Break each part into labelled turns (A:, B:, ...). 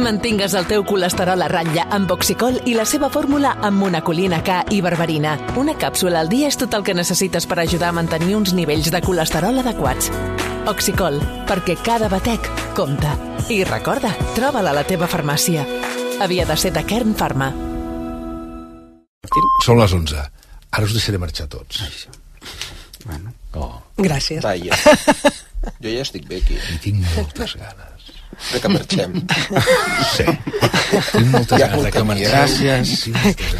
A: Mantingues el teu colesterol a ratlla amb Oxicol i la seva fórmula amb monacolina K i berberina. Una càpsula al dia és tot el que necessites per ajudar a mantenir uns nivells de colesterol adequats. Oxicol, perquè cada batec compta. I recorda, troba-la a la teva farmàcia. Havia de ser de Kern Pharma.
B: Són les 11. Ara us deixaré marxar tots.
C: Bueno.
D: Gràcies.
E: Vaja. Jo ja estic bé aquí.
B: I tinc moltes ganes.
E: De que marxem.
B: Sí. Tinc moltes ganes de que marxem.
C: Gràcies.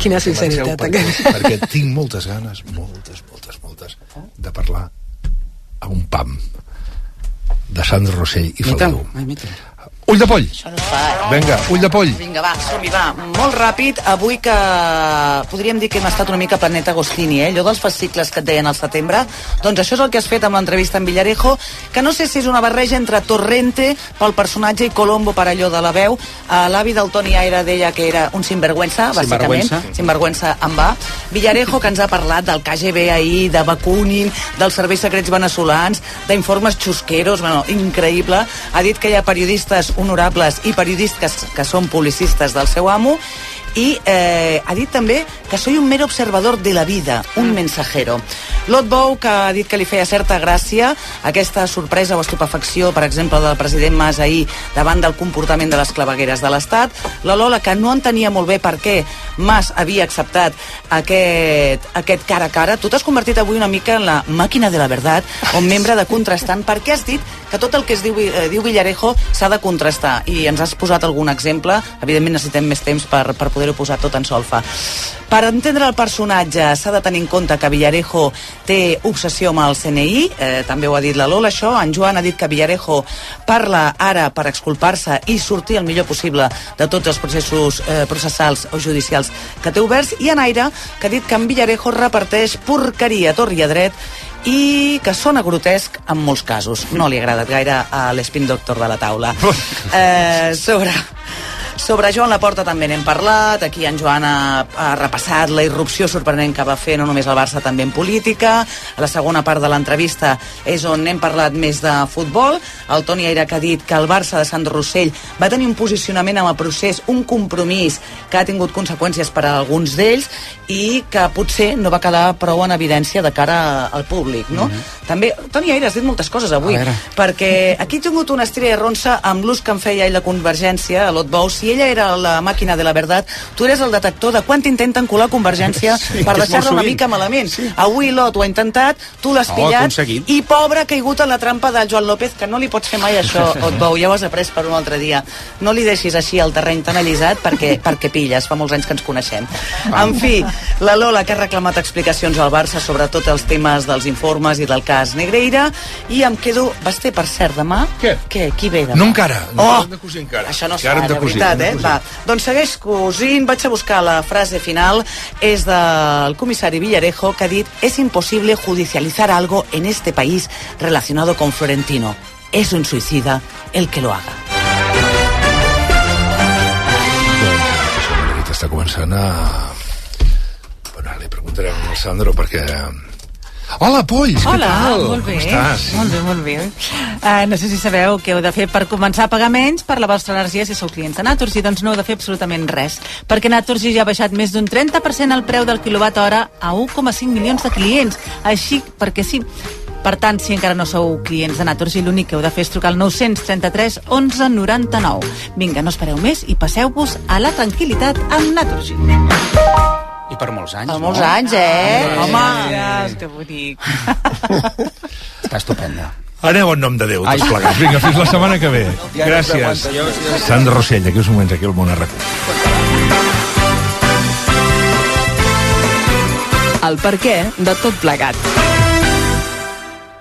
D: Quina sinceritat.
B: Perquè tinc moltes ganes, moltes, de parlar a un pam de Sandro Rossell i Faldeu. Ull de poll! Vinga, ull de poll!
F: Vinga, va, som-hi, va. Molt ràpid, avui que podríem dir que hem estat una mica Planet Agostini, allò dels fascicles que et deien al setembre, doncs això és el que has fet amb l'entrevista amb Villarejo, que no sé si és una barreja entre Torrente pel personatge i Colombo per allò de la veu. L'avi del Toni Aire deia que era un sinvergüenza, bàsicament. Sinvergüenza en va. Villarejo, que ens ha parlat del KGB ahir, de Bakunin, dels serveis secrets veneçolans, d'informes xusqueros, bueno, increïble. Ha dit que hi ha periodistes honorables i periodistes que són publicistes del seu amo, i ha dit també que soy un mero observador de la vida, un mensajero. Lot Bou, que ha dit que li feia certa gràcia aquesta sorpresa o estupefacció, per exemple, del president Mas ahir davant del comportament de les clavegueres de l'Estat. La Lola, que no entenia molt bé per què Mas havia acceptat aquest cara a cara. Tu t'has convertit avui una mica en la màquina de la verdad, o membre de contrastant, perquè has dit que tot el que es diu Villarejo s'ha de contrastar, i ens has posat algun exemple. Evidentment necessitem més temps per poder-ho posar tot en solfa. Per entendre el personatge s'ha de tenir en compte que Villarejo té obsessió amb el CNI, també ho ha dit la Lola, això. En Joan ha dit que Villarejo parla ara per exculpar-se i sortir el millor possible de tots els processos processals o judicials que té oberts, i en Aire, que ha dit que en Villarejo reparteix porqueria a tor i a dret i que sona grotesc en molts casos. No li ha agradat gaire a l'Spin Doctor de la taula. Sobre Joan Laporta també n'hem parlat. Aquí en Joan ha repassat la irrupció sorprenent que va fer no només el Barça, també en política. A la segona part de l'entrevista és on hem parlat més de futbol. El Toni Aire, que ha dit que el Barça de Sandro Rossell va tenir un posicionament amb el procés, un compromís que ha tingut conseqüències per a alguns d'ells i que potser no va quedar prou en evidència de cara al públic, no? També, Toni Aire, has dit moltes coses avui, perquè aquí he tingut una estrella ronsa amb l'ús que em feia ell de Convergència, a Lot Bou. Si ella era la màquina de la verdad, tu eres el detector de quan t'intenten colar Convergència per deixar-la una mica malament. Avui Lot ho ha intentat, tu l'has pillat, i pobre ha caigut en la trampa del Joan López, que no li pots fer mai això, Lot Bou, ja ho has après per un altre dia. No li deixis així el terreny tan allisat perquè pilles, fa molts anys que ens coneixem. En fi, la Lola, que ha reclamat explicacions al Barça sobre tots els temes dels informes i del cas Negreira, i em quedo... Basté, per cert, demà? Què? Qui ve demà?
B: No encara, no hem de cosir encara.
F: Això no es fa, de veritat, Va, doncs segueix cosint, vaig a buscar la frase final, és del comissari Villarejo, que ha dit: es imposible judicializar algo en este país relacionado con Florentino. Es un suicida el que lo haga.
B: Doncs està començant a... Bueno, li preguntarem al Sandro perquè... Hola, Polls, què tal?
G: Molt bé.
B: Com estàs?
G: Molt bé. No sé si sabeu què heu de fer per començar a pagar menys per la vostra energia si sou clients de Naturgy. Doncs no heu de fer absolutament res, perquè Naturgy ja ha baixat més d'un 30% el preu del quilowatt hora a 1,5 milions de clients. Així, perquè sí. Per tant, si encara no sou clients de Naturgy, l'únic que heu de fer és trucar al 933 11 99. Vinga, no espereu més i passeu-vos a la tranquil·litat amb Naturgy.
C: I per molts anys,
F: Per molts anys, Home!
G: Que bonic.
C: Està estupenda.
B: Aneu en nom de Déu, tots plegats. Vinga, fins la setmana que ve. Gràcies. Sandro Rossell, aquí uns moments, aquí al Món RQ.
A: El perquè de tot plegat.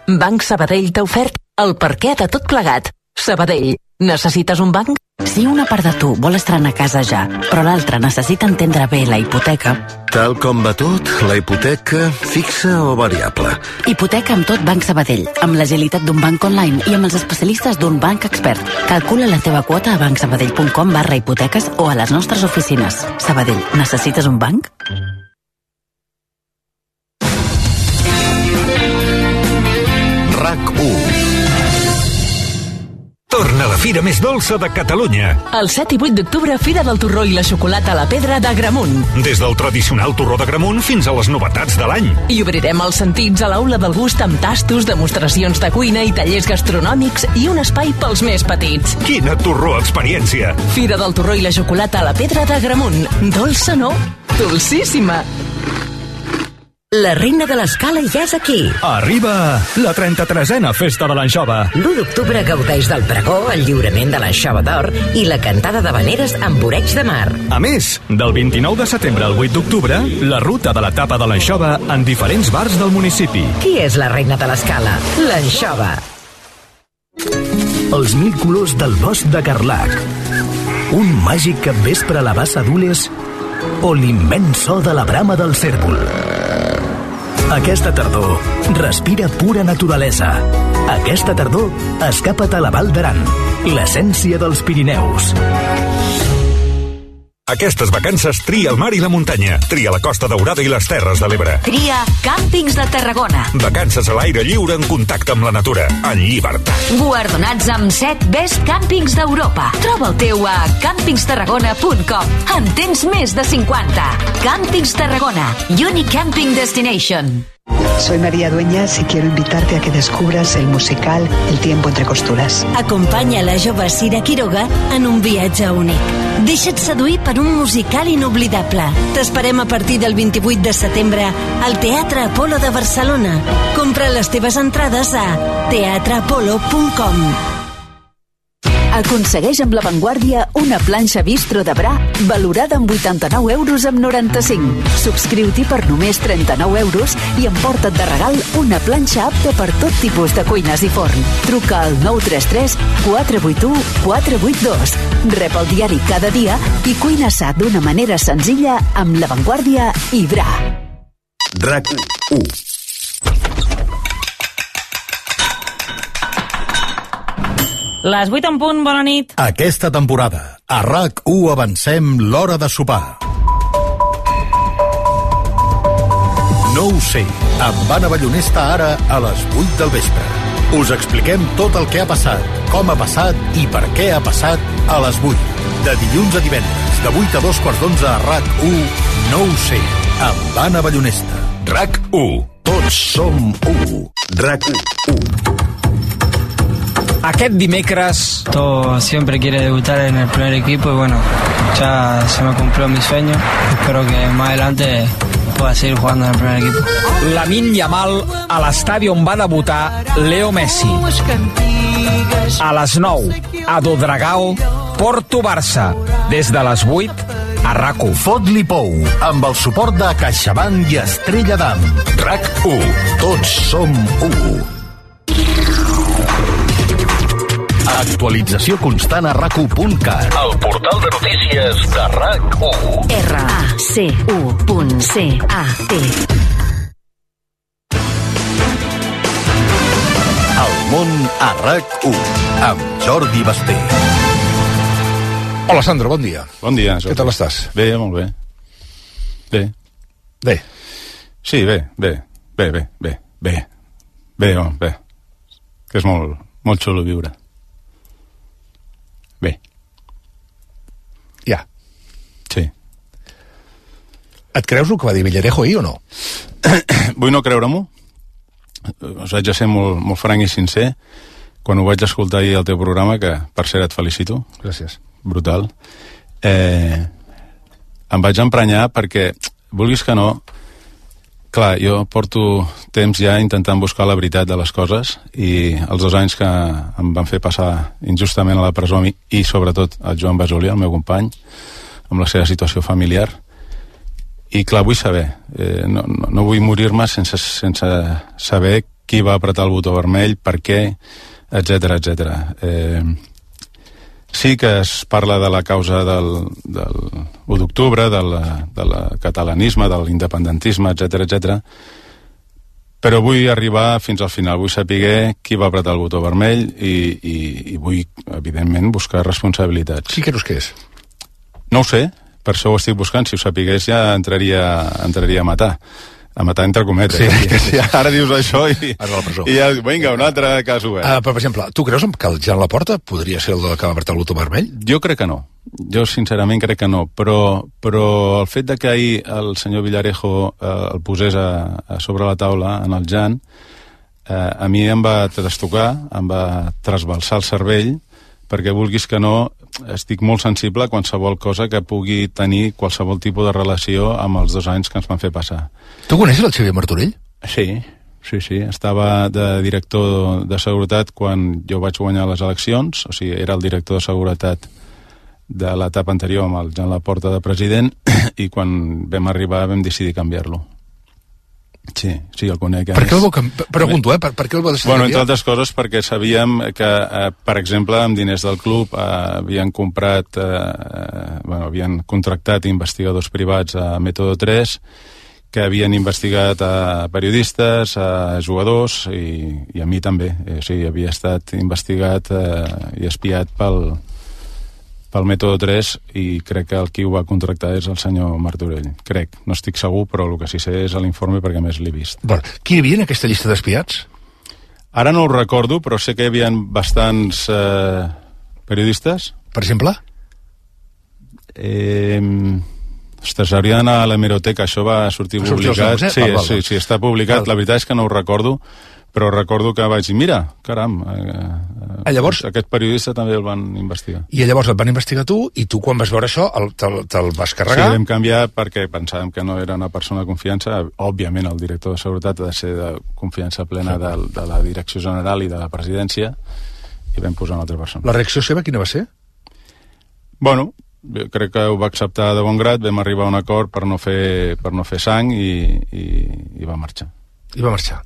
A: Banc Sabadell t'ha ofert el perquè de tot plegat. Sabadell, necessites un banc?
H: Si una part de tu vol estrenar casa ja, però l'altra necessita entendre bé la hipoteca...
I: Tal com va tot, la hipoteca fixa o variable?
H: Hipoteca amb tot Banc Sabadell, amb l'agilitat d'un banc online i amb els especialistes d'un banc expert. Calcula la teva quota a bancsabadell.com/hipoteques o a les nostres oficines. Sabadell, necessites un banc?
I: RAC1
J: Torna la fira més dolça de Catalunya.
A: El 7 i 8 d'octubre, Fira del Torró i la Xocolata a la Pedra d'Agramunt.
J: Des del tradicional torró d'Agramunt fins a les novetats de l'any.
A: I obrirem els sentits a l'Aula del Gust amb tastos, demostracions de cuina i tallers gastronòmics i un espai pels més petits.
J: Quina torró experiència!
A: Fira del Torró i la Xocolata a la Pedra d'Agramunt. Dolça no, dolcíssima.
K: La reina de l'escala ja és aquí.
L: Arriba la 33a Festa de l'Anxova.
K: L'1 d'octubre gaudeix del pregó, el lliurament de l'Anxova d'Or i la cantada d'habaneres amb oreig de mar.
L: A més, del 29 de setembre al 8 d'octubre, la ruta de la tapa de l'Anxova en diferents bars del municipi.
K: Qui és la reina de l'escala? L'Anxova.
M: Els 1000 colors del bosc de Carlac. Un màgic capvespre a la bassa d'Ules o l'immens so de la brama del cèrvol. Aquesta tardor, respira pura naturalesa. Aquesta tardor, escapa't a la Val d'Aran, l'essència dels Pirineus.
J: Aquestes vacances tria el mar i la muntanya. Tria la Costa Daurada i les Terres de l'Ebre.
N: Tria Càmpings de Tarragona.
J: Vacances a l'aire lliure en contacte amb la natura, en llibertat.
N: Guardonats amb 7 Best Càmpings d'Europa. Troba el teu a campingstarragona.com. En tens més de 50. Càmpings Tarragona. Unique Camping Destination.
O: Soy María Dueñas y quiero invitarte a que descubras el musical El tiempo entre costuras.
P: Acompanya la jove Sira Quiroga en un viatge únic. Deixa't seduir per un musical inoblidable. T'esperem a partir del 28 de setembre al Teatre Apolo de Barcelona. Compra les teves entrades a teatreapolo.com.
Q: Aconsegueix amb La Vanguardia una planxa bistro de Bra valorada amb 89 euros amb 95. Subscriu-t'hi per només 39 euros i emporta't de regal una planxa apta per tot tipus de cuines i forn. Truca al 933 481 482. Rep el diari cada dia i cuina sa d'una manera senzilla amb La Vanguardia i Bra.
I: RAC 1.
G: Les 8 en punt, bona nit.
R: Aquesta temporada, a RAC1 avancem l'hora de sopar. No ho sé, amb Anna Ballonesta ara a les 8 del vespre. Us expliquem tot el que ha passat, com ha passat i per què ha passat a les 8. De dilluns a divendres, de 8 a 2:15 a RAC1, No ho sé, amb Anna Ballonesta.
J: RAC1.
R: Tots som 1.
I: RAC1.
S: Aquest dimecres
T: siempre quiere debutar en el primer equipo y bueno, ya se me cumplió mi sueño. Espero que más adelante pueda seguir jugando en el primer equipo.
S: Lamine Yamal a l'estadi on va debutar Leo Messi. A les 9, a Dodragao, Porto-Barça. Des de les 8, a RAC1.
R: Fot-li pou, amb el suport de CaixaBank i Estrella d'Am. RAC1. Tots som 1. Actualització constant a RAC1.cat.
I: El portal de notícies de RAC1.
H: RAC1.cat.
R: El món a RAC1 amb Jordi Basté.
B: Hola, Sandro, bon dia.
U: Bon dia, Jordi.
B: Què tal estàs?
U: Bé, molt bé.
B: Bé.
U: Sí, bé. Bé, home, bé. Que és molt xulo viure. Bé.
B: Ja.
U: Sí.
B: Et creus el que va dir Villarejo ahir o no?
U: Vull no creure-m'ho. Us haig de ser molt franc i sincer. Quan ho vaig escoltar ahir al teu programa, que per cert et felicito.
B: Gràcies.
U: Brutal. Em vaig emprenyar perquè, vulguis que no, clar, jo porto temps ja intentant buscar la veritat de les coses i els 2 anys que em van fer passar injustament a la presó i sobretot el Joan Basoli, el meu company, amb la seva situació familiar. I clar, vull saber, no vull morir-me sense saber qui va apretar el botó vermell, per què, etc. Sí que es parla de la causa del 1 d'octubre, del catalanisme, de l'independentisme, etc. Però vull arribar fins al final, vull saber qui va apretar el botó vermell i vull, evidentment, buscar responsabilitats.
B: Qui creus que és?
U: No ho sé, per això ho estic buscant. Si ho sapigués ja entraria a matar. A matar entre cometes. Sí. Ara dius això i ja, vinga, un altre cas obert.
B: Però, per exemple, tu creus que el Jan Laporta podria ser el que va apretar el botó vermell?
U: Jo crec que no. Jo, sincerament, crec que no. Però el fet de que ahir el senyor Villarejo el posés a sobre la taula, en el Jan, a mi em va trastocar, em va trasbalsar el cervell, perquè vulguis que no, estic molt sensible a qualsevol cosa que pugui tenir qualsevol tipus de relació amb els 2 anys que ens van fer passar.
B: Tu coneixes el Xavier Martorell?
U: Sí. Estava de director de seguretat quan jo vaig guanyar les eleccions, o sigui, era el director de seguretat de l'etapa anterior amb el Jan Laporta de president, i quan vam arribar vam decidir canviar-lo. Sí, el conec.
B: Per què el vau pregunto, per què el va decidir?
U: Bueno, entre altres coses perquè sabíem que, per exemple, amb diners del club havien comprat, havien contractat investigadors privats a Método 3, que havien investigat a periodistes, a jugadors i a mi també. O sigui, havia estat investigat i espiat pel Método 3 i crec que el qui ho va contractar és el senyor Martorell. Crec, no estic segur, però el que sí sé és l'informe perquè més l'he vist.
B: Bueno, qui hi havia en aquesta llista d'espiats?
U: Ara no ho recordo, però sé que hi havia bastants periodistes.
B: Per exemple?
U: Ostres, hauria d'anar a l'hemeroteca, això va sortir publicat. Sí, està publicat. La veritat és que no ho recordo, però recordo que vaig dir, mira, caram,
B: llavors,
U: aquest periodista també el van investigar.
B: I llavors el van investigar tu, i tu quan vas veure això te'l vas carregar?
U: Sí, vam canviar perquè pensàvem que no era una persona de confiança. Òbviament el director de seguretat ha de ser de confiança plena de la direcció general i de la presidència, i vam posar una altra persona.
B: La reacció seva quina va ser?
U: Bueno, crec que ho va acceptar de bon grat, vam arribar a un acord per no fer sang i va marxar.
B: I va marxar.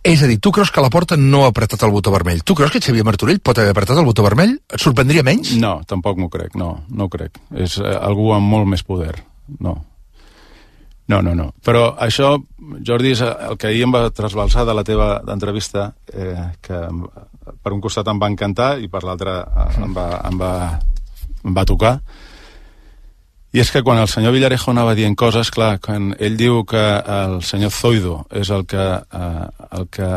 B: És a dir, tu creus que Laporta no ha apretat el botó vermell? Tu creus que Xavier Martorell pot haver apretat el botó vermell? Et sorprendria menys?
U: No, tampoc m'ho crec, no ho crec. És algú amb molt més poder, no. Però això, Jordi, és el que ahir em va trasbalsar de la teva entrevista, que per un costat em va encantar i per l'altre em va tocar. I és que quan el senyor Villarejo anava dient coses, clar, quan ell diu que el senyor Zoido és el que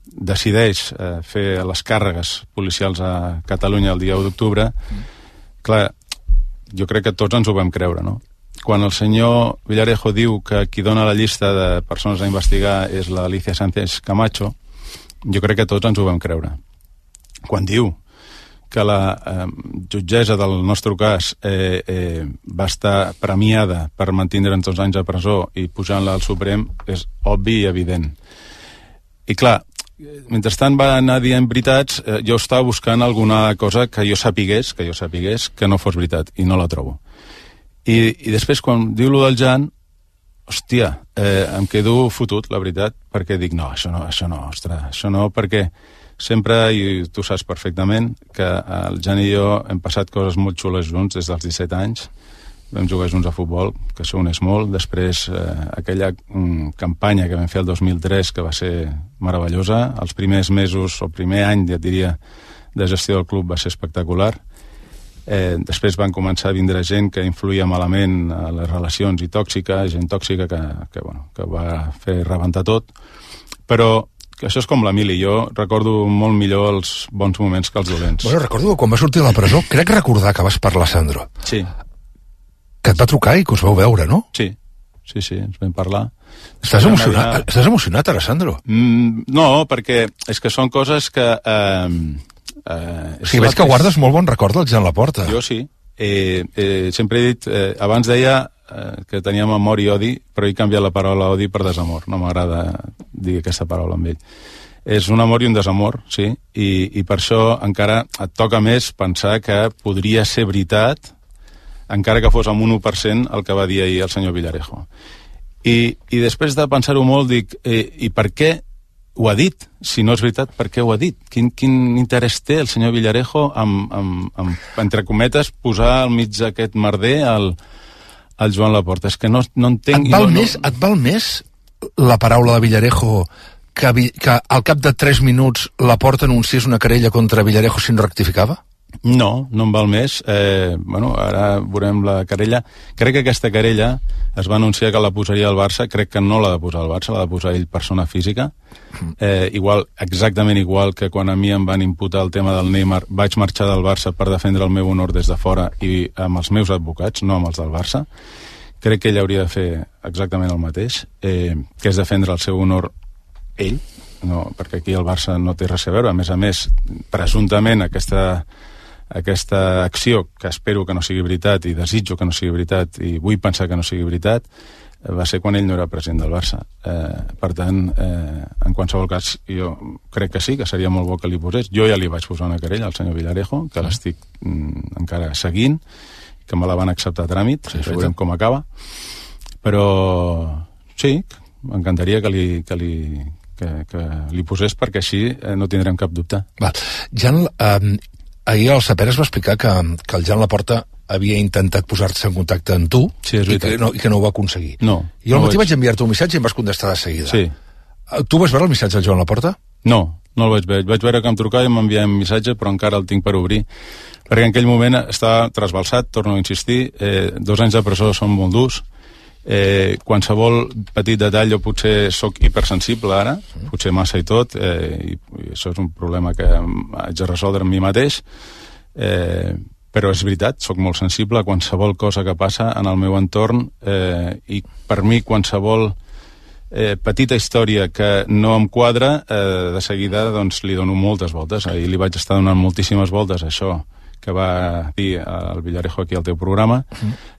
U: decideix fer les càrregues policials a Catalunya el dia 1 d'octubre, clar, jo crec que tots ens ho vam creure, no? Quan el senyor Villarejo diu que qui dona la llista de persones a investigar és l'Alicia Sánchez Camacho, jo crec que tots ens ho vam creure. Quan diu que la jutgessa del nostre cas va estar premiada per mantindre'n 2 anys a presó i pujant-la al Suprem, és obvi i evident. I clar, mentrestant va anar dient veritats, jo estava buscant alguna cosa que jo sapigués que no fos veritat, i no la trobo. I després, quan diu lo del Jan, hòstia, em quedo fotut, la veritat, perquè dic, no, això no, perquè sempre, i tu saps perfectament, que el Jan i jo hem passat coses molt xules junts des dels 17 anys. Vam jugar junts a futbol, que això uneix molt. Després, aquella campanya que vam fer el 2003, que va ser meravellosa. Els primers mesos, o el primer any, ja et diria, de gestió del club va ser espectacular. Després van començar a vindre gent que influïa malament a les relacions i tòxica, gent tòxica que va fer rebentar tot. Però que això és com la Mili, jo recordo molt millor els bons moments que els dolents.
B: Bueno, recordo que quan va sortir de la presó, crec recordar que vas parlar, Sandro.
U: Sí.
B: Que et va trucar i que us vau veure, no?
U: Sí, ens vam parlar.
B: Estàs emocionat ara, Sandro?
U: No, perquè és que són coses que...
B: O sigui, veig que guardes molt bon record del Jan Laporta.
U: Jo sí. Sempre he dit... Abans deia que teníem amor i odi, però he canviat la paraula odi per desamor. No m'agrada dir aquesta paraula amb ell. És un amor i un desamor, sí, i per això encara et toca més pensar que podria ser veritat, encara que fos amb un 1% el que va dir ahir el senyor Villarejo. I després de pensar-ho molt, dic, i per què ho ha dit? Si no és veritat, per què ho ha dit? Quin interès té el senyor Villarejo entre cometes, posar al mig d'aquest merder el Joan Laporta? És que no entenc...
B: Et val més la paraula de Villarejo que al cap de 3 minuts Laporta anunciés una querella contra Villarejo si no rectificava?
U: No em val més. Ara veurem la querella. Crec que aquesta querella es va anunciar que la posaria el Barça. Crec que no l'ha de posar el Barça, l'ha de posar ell, persona física. Exactament igual que quan a mi em van imputar el tema del Neymar, vaig marxar del Barça per defendre el meu honor des de fora i amb els meus advocats, no amb els del Barça. Crec que ell hauria de fer exactament el mateix, que és defendre el seu honor ell, no, perquè aquí el Barça no té res a veure. A més, presumptament aquesta acció, que espero que no sigui veritat i desitjo que no sigui veritat i vull pensar que no sigui veritat, va ser quan ell no era president del Barça. Per tant, en qualsevol cas, jo crec que sí, que seria molt bo que li posés. Jo ja li vaig posar una querella al senyor Villarejo, que l'estic encara seguint, que me la van acceptar a tràmit, veurem com acaba. Però sí, m'encantaria que li posés, perquè així no tindrem cap dubte.
B: Jan, ahir al Saper es va explicar que el Jan Laporta havia intentat posar-se en contacte amb tu, sí, i que no ho va aconseguir.
U: No.
B: Jo al matí vaig enviar-te un missatge i em vas contestar de seguida.
U: Sí.
B: Tu vas veure el missatge del Joan Laporta?
U: No el vaig veure. Vaig veure que em trucava i m'enviava un missatge, però encara el tinc per obrir, perquè en aquell moment estava trasbalsat, torno a insistir, 2 anys de presó són molt durs, qualsevol petit detall jo potser sóc hipersensible ara, potser massa i tot, i això és un problema que haig de resoldre amb mi mateix, però és veritat, sóc molt sensible a qualsevol cosa que passa en el meu entorn, i per mi qualsevol petita història que no em quadra, de seguida doncs li dono moltes voltes. Ahir li vaig estar donant moltíssimes voltes a això que va dir el Villarejo aquí al teu programa,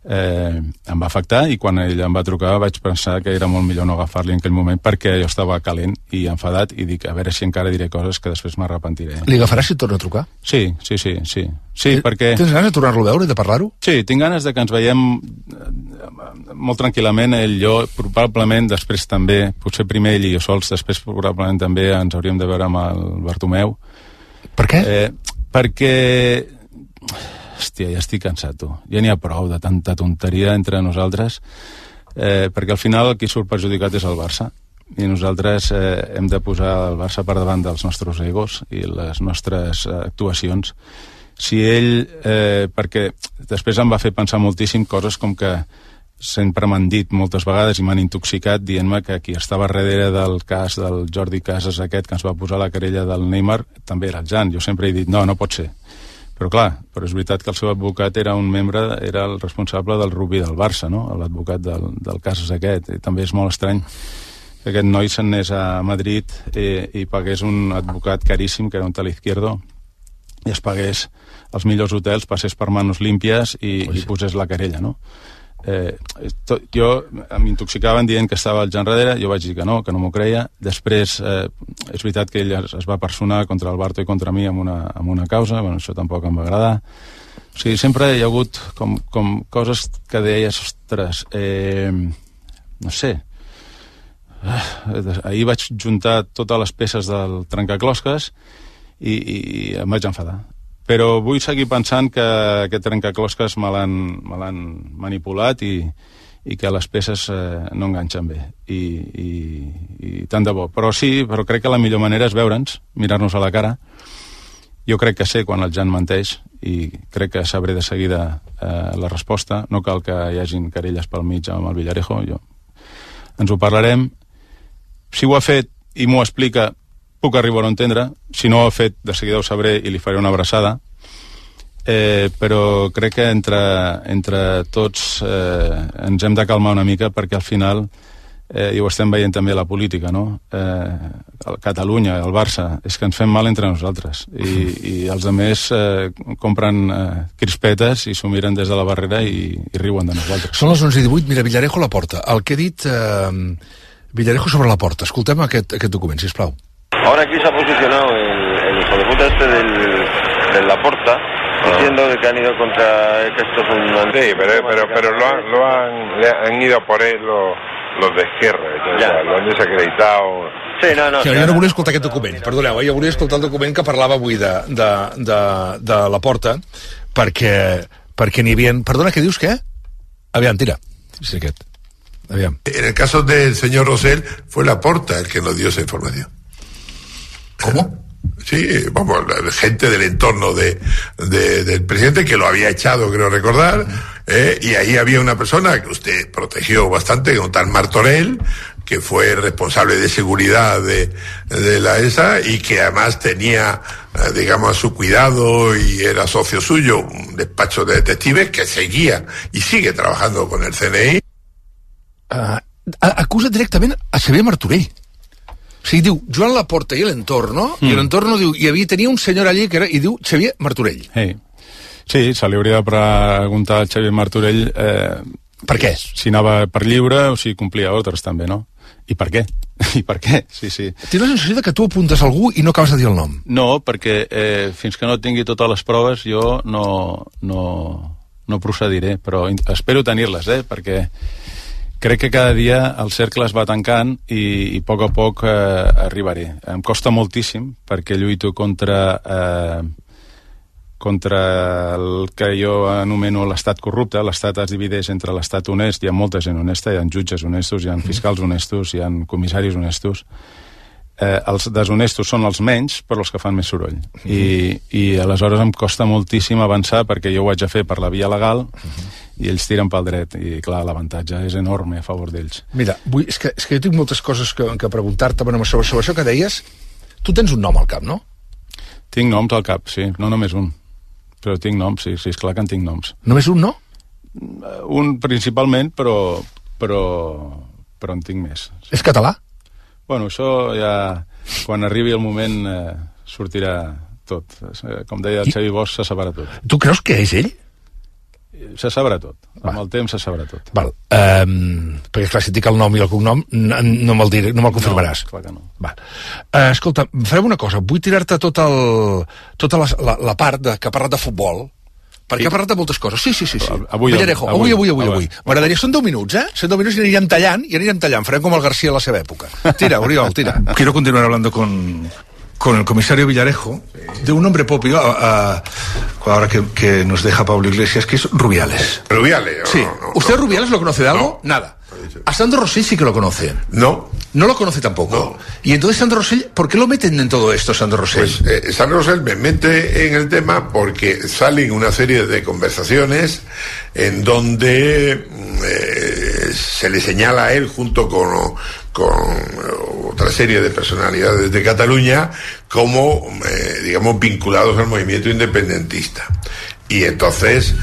U: em va afectar, i quan ell em va trucar vaig pensar que era molt millor no agafar-li en aquell moment, perquè jo estava calent i enfadat, i dic, a veure si encara diré coses que després m'arrepentiré.
B: Li agafaràs si et torna a trucar?
U: Sí, perquè...
B: Tens ganes de tornar-lo a veure i de parlar-ho?
U: Sí, tinc ganes de que ens veiem molt tranquil·lament, ell i jo, probablement després també, potser primer ell i jo sols, després probablement també ens hauríem de veure amb el Bartomeu.
B: Per què?
U: Perquè... Hòstia, ja estic cansat, tu. Ja n'hi ha prou de tanta tonteria entre nosaltres, perquè al final el qui surt perjudicat és el Barça, i nosaltres hem de posar el Barça per davant dels nostres egos i les nostres actuacions. Si ell, perquè després em va fer pensar moltíssim coses com que sempre m'han dit moltes vegades i m'han intoxicat dient-me que qui estava darrere del cas del Jordi Casas aquest que ens va posar la querella del Neymar també era el Jan. Jo sempre he dit, no pot ser. Però clar, és veritat que el seu advocat era el responsable del rugby del Barça, no? L'advocat del Casas aquest. I també és molt estrany que aquest noi se'n anés a Madrid i pagués un advocat caríssim, que era un tal Izquierdo, i es pagués els millors hotels, passés per manos límpies i posés la querella, no? Jo m'intoxicaven dient que estava el Jan darrere, jo vaig dir que no m'ho creia. Després és veritat que ell es va personar contra el Barto i contra mi amb una causa, això tampoc em va agradar. O sigui, sempre hi ha hagut com coses que deies, ostres, no sé, ahir vaig juntar totes les peces del trencaclosques i em vaig enfadar. Però vull seguir pensant que aquest trencaclosques me l'han manipulat i que les peces no enganxen bé. I tant de bo. Però crec que la millor manera és veure'ns, mirar-nos a la cara. Jo crec que sé quan el Jan menteix i crec que sabré de seguida la resposta. No cal que hi hagin querelles pel mig amb el Villarejo. Ens ho parlarem. Si ho ha fet i m'ho explica, puc arribar a entendre. Si no ho ha fet, de seguida ho sabré i li faré una abraçada. Però crec que entre tots ens hem de calmar una mica, perquè al final, i ho estem veient també a la política, no? Catalunya, el Barça, és que ens fem mal entre nosaltres. I els altres compren crispetes i s'ho miren des de la barrera i riuen de nosaltres.
B: Són les 11:18, mira, Villarejo Laporta. El que ha dit Villarejo sobre Laporta. Escoltem aquest document, sisplau.
E: Ahora aquí se ha posicionado el hijo de puta del Laporta, diciendo que han ido contra que esto es un...
V: Sí, pero han ido por él los de Esquerra, lo han desacreditado.
E: Sí, no.
B: Sí, jo no volia escoltar aquest document, perdoneu, jo volia escoltar el document que parlava avui de Laporta, perquè n'hi havia... Perdona, què dius, què? Aviam, tira. Sí, aquest. Aviam.
W: En el caso del señor Rosell, fue Laporta el que nos dio esa información.
B: ¿Cómo? sí, vamos, gente del entorno del presidente, que lo había echado, creo recordar, y ahí había una persona que usted protegió bastante, un tal Martorell, que fue responsable de seguridad de la ESA y que además tenía, digamos, a su cuidado y era socio suyo, un despacho de detectives que seguía y sigue trabajando con el CNI. Acusa directament a Xavier Martorell. O sigui, diu Joan Laporta i l'entorno, i l'entorno diu, tenia un senyor allí que era, i diu Xavier Martorell.
U: Sí, se li hauria de preguntar al Xavier Martorell
B: per què?
U: Si anava per lliure o si complia ordres també, no? I per què? Sí.
B: Tinc la sensació que tu apuntes algú i no acabes de dir el nom.
U: No, perquè fins que no tingui totes les proves jo no procediré, però espero tenir-les, perquè crec que cada dia el cercle es va tancant i a poc arribaré. Em costa moltíssim perquè lluito contra el que jo anomeno l'estat corrupte. L'estat es divideix entre l'estat honest, hi ha molta gent honesta, hi ha jutges honestos, hi ha fiscals honestos, hi ha comissaris honestos. Els deshonestos són els menys, però els que fan més soroll. I aleshores em costa moltíssim avançar perquè jo ho haig de fer per la via legal i ells tiren pel dret. I clar, l'avantatge és enorme a favor d'ells.
B: Mira, és que jo tinc moltes coses que preguntar-te sobre això que deies. Tu tens un nom al cap, no?
U: Tinc noms al cap, sí, no només un. Però tinc noms, sí, esclar que en tinc noms.
B: Només un, no?
U: Un principalment, però en tinc més.
B: És català?
U: Bueno, això ja, quan arribi el moment, sortirà tot. Com deia el Xavi Bosch, se sabrà tot.
B: Tu creus que és ell?
U: Se sabrà tot. Amb el temps se sabrà tot.
B: Val. Perquè, clar, si et dic el nom i el cognom, no me'l confirmaràs.
U: No, clar que no.
B: Val. Escolta, farem una cosa. Vull tirar-te tota la part que ha parlat de futbol, perquè ha parlat de moltes coses. Sí. Villarejo, avui. M'agradaria, són 10 minuts, Són 10 minuts i anirem tallant. Farem com el García a la seva època. Tira, Oriol, tira. Quiero continuar hablando con el comisario Villarejo de un hombre propio, ahora que nos deja Pablo Iglesias, que es Rubiales. ¿Rubiales? Sí. ¿Usted Rubiales lo conoce de algo? No. Nada. A Sandro Rosell sí que lo conoce. No. ¿No lo conoce tampoco? No. Y entonces Sandro Rosell, ¿por qué lo meten en todo esto, Sandro Rosell? Pues Sandro Rosell me mete en el tema porque salen una serie de conversaciones en donde se le señala a él junto con otra serie de personalidades de Cataluña como, digamos, vinculados al movimiento independentista. Y entonces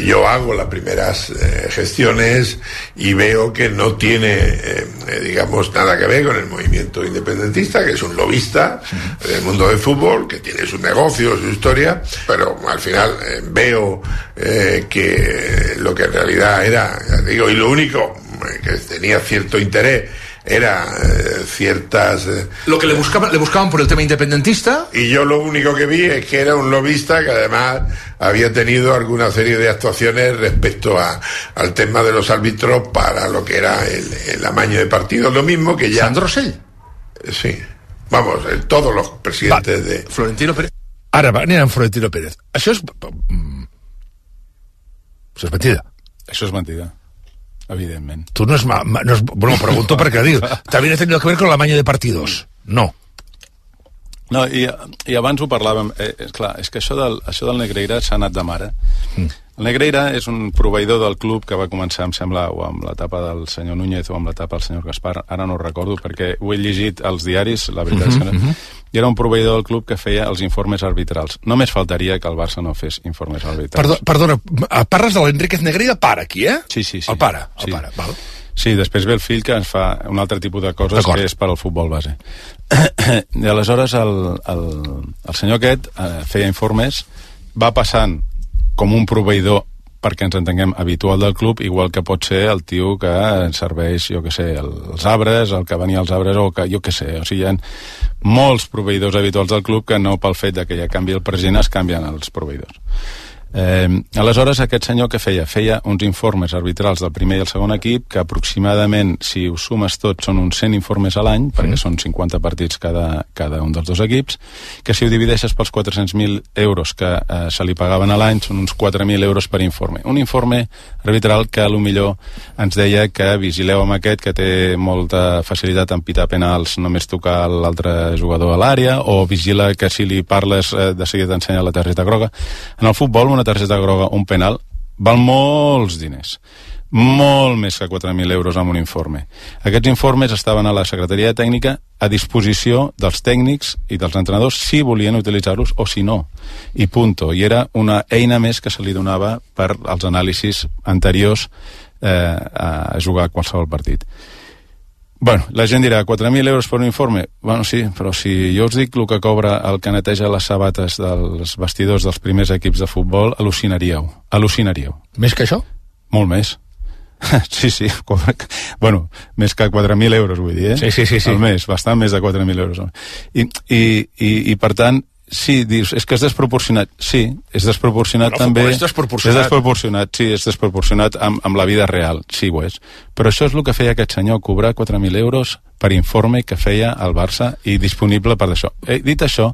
B: yo hago las primeras gestiones y veo que no tiene, digamos, nada que ver con el movimiento independentista, que es un lobista del mundo del fútbol, que tiene sus negocios, su historia, pero al final veo que lo que en realidad era, digo, y lo único que tenía cierto interés era ciertas... Lo que le buscaban por el tema independentista. Y yo lo único que vi es que era un lobista que además había tenido alguna serie de actuaciones respecto al tema de los árbitros para lo que era el amaño de partidos, lo mismo que ya... ¿Sandro Rosell? Sí. Vamos, todos los presidentes de... Florentino Pérez. Ara anem amb Florentino Pérez. Això és mentida.
U: Això és mentida. Evidentment.
B: Tú no es bueno, pregunto perquè digo, también ha tenido que ver con la maña de partidos. No.
U: No, i abans ho parlàvem, clar, és que això del Negreira s'ha anat de mare. El Negreira és un proveïdor del club que va començar, em sembla, o amb l'etapa del senyor Núñez o amb l'etapa del senyor Gaspar, ara no ho recordo perquè ho he llegit als diaris, la veritat és que i era un proveïdor del club que feia els informes arbitrals. Només faltaria que el Barça no fes informes arbitrals. Perdona,
B: parles de l'Enriquez Negreira, pare, aquí,
U: Sí.
B: El pare, val.
U: Sí, després ve el fill que ens fa un altre tipus de coses que és per al futbol base. I aleshores el senyor aquest feia informes, va passant com un proveïdor, perquè ens entenguem, habitual del club, igual que pot ser el tio que serveix, jo què sé, els arbres, el que venia als arbres, o que, jo què sé, o sigui, hi ha molts proveïdors habituals del club que no pel fet que ja canvi el president es canvien els proveïdors. Aleshores, aquest senyor què feia? Feia uns informes arbitrals del primer i el segon equip, que aproximadament, si ho sumes tot, són uns 100 informes a l'any, perquè són 50 partits cada un dels dos equips, que si ho divideixes pels 400.000 euros que se li pagaven a l'any, són uns 4.000 euros per informe. Un informe arbitral que millor ens deia que vigileu amb aquest, que té molta facilitat en pitar penals, només tocar l'altre jugador a l'àrea, o vigila que si li parles de seguida t'ensenya la targeta groga. En el futbol, una targeta groga, un penal, val molts diners, molt més que 4.000 euros amb un informe. Aquests informes estaven a la Secretaria Tècnica a disposició dels tècnics i dels entrenadors si volien utilitzar-los o si no, i punto. I era una eina més que se li donava per als anàlisis anteriors a jugar qualsevol partit. Bueno, la gent dirà, 4.000 euros per un informe? Bueno, sí, però si jo us dic el que cobra el que neteja les sabates dels vestidors dels primers equips de futbol, al·lucinaríeu.
B: Més que això?
U: Molt més. Sí. Bueno, més que 4.000 euros, vull dir,
B: Sí.
U: Al mes, bastant més de 4.000 euros. I per tant, sí, dius, és que és desproporcionat. Sí, és desproporcionat també.
B: És
U: desproporcionat amb la vida real, sí ho és. Però això és el que feia aquest senyor, cobrar 4.000 euros per informe que feia el Barça i disponible per això. Dit això...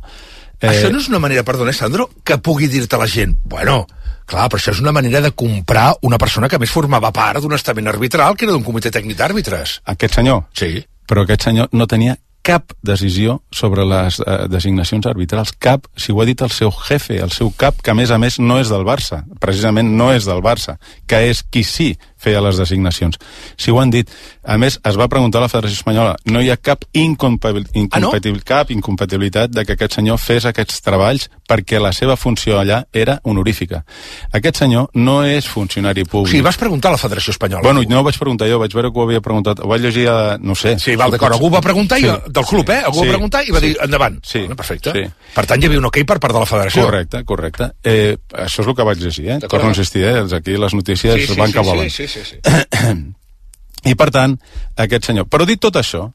B: Això no és una manera, perdona, Sandro, que pugui dir-te la gent, bueno, clar, però això és una manera de comprar una persona que més formava part d'un estament arbitral que era d'un comitè tècnic d'àrbitres.
U: Aquest senyor?
B: Sí.
U: Però aquest senyor no tenia cap decisió sobre les designacions arbitrals, cap, si ho ha dit el seu jefe, el seu cap, que a més no és del Barça, precisament no és del Barça, que és qui sí feia les designacions. Si ho han dit, a més, es va preguntar a la Federació Espanyola, no hi ha cap incompatibilitat de que aquest senyor fes aquests treballs perquè la seva funció allà era honorífica. Aquest senyor no és funcionari públic.
B: Sí, vas preguntar a la Federació Espanyola.
U: Bueno, no ho vaig preguntar jo, vaig veure que ho havia preguntat, ho vaig llegir a, no sé.
B: Sí, val, d'acord, algú va preguntar, del club, algú va preguntar i va dir, endavant.
U: Sí.
B: Perfecte.
U: Sí.
B: Per tant, hi havia un ok per part de la Federació.
U: Correcte. Això és el que vaig llegir, Torno a insistir, aquí les notícies van que volen.
B: Sí.
U: I per tant, aquest senyor... Però dit tot això,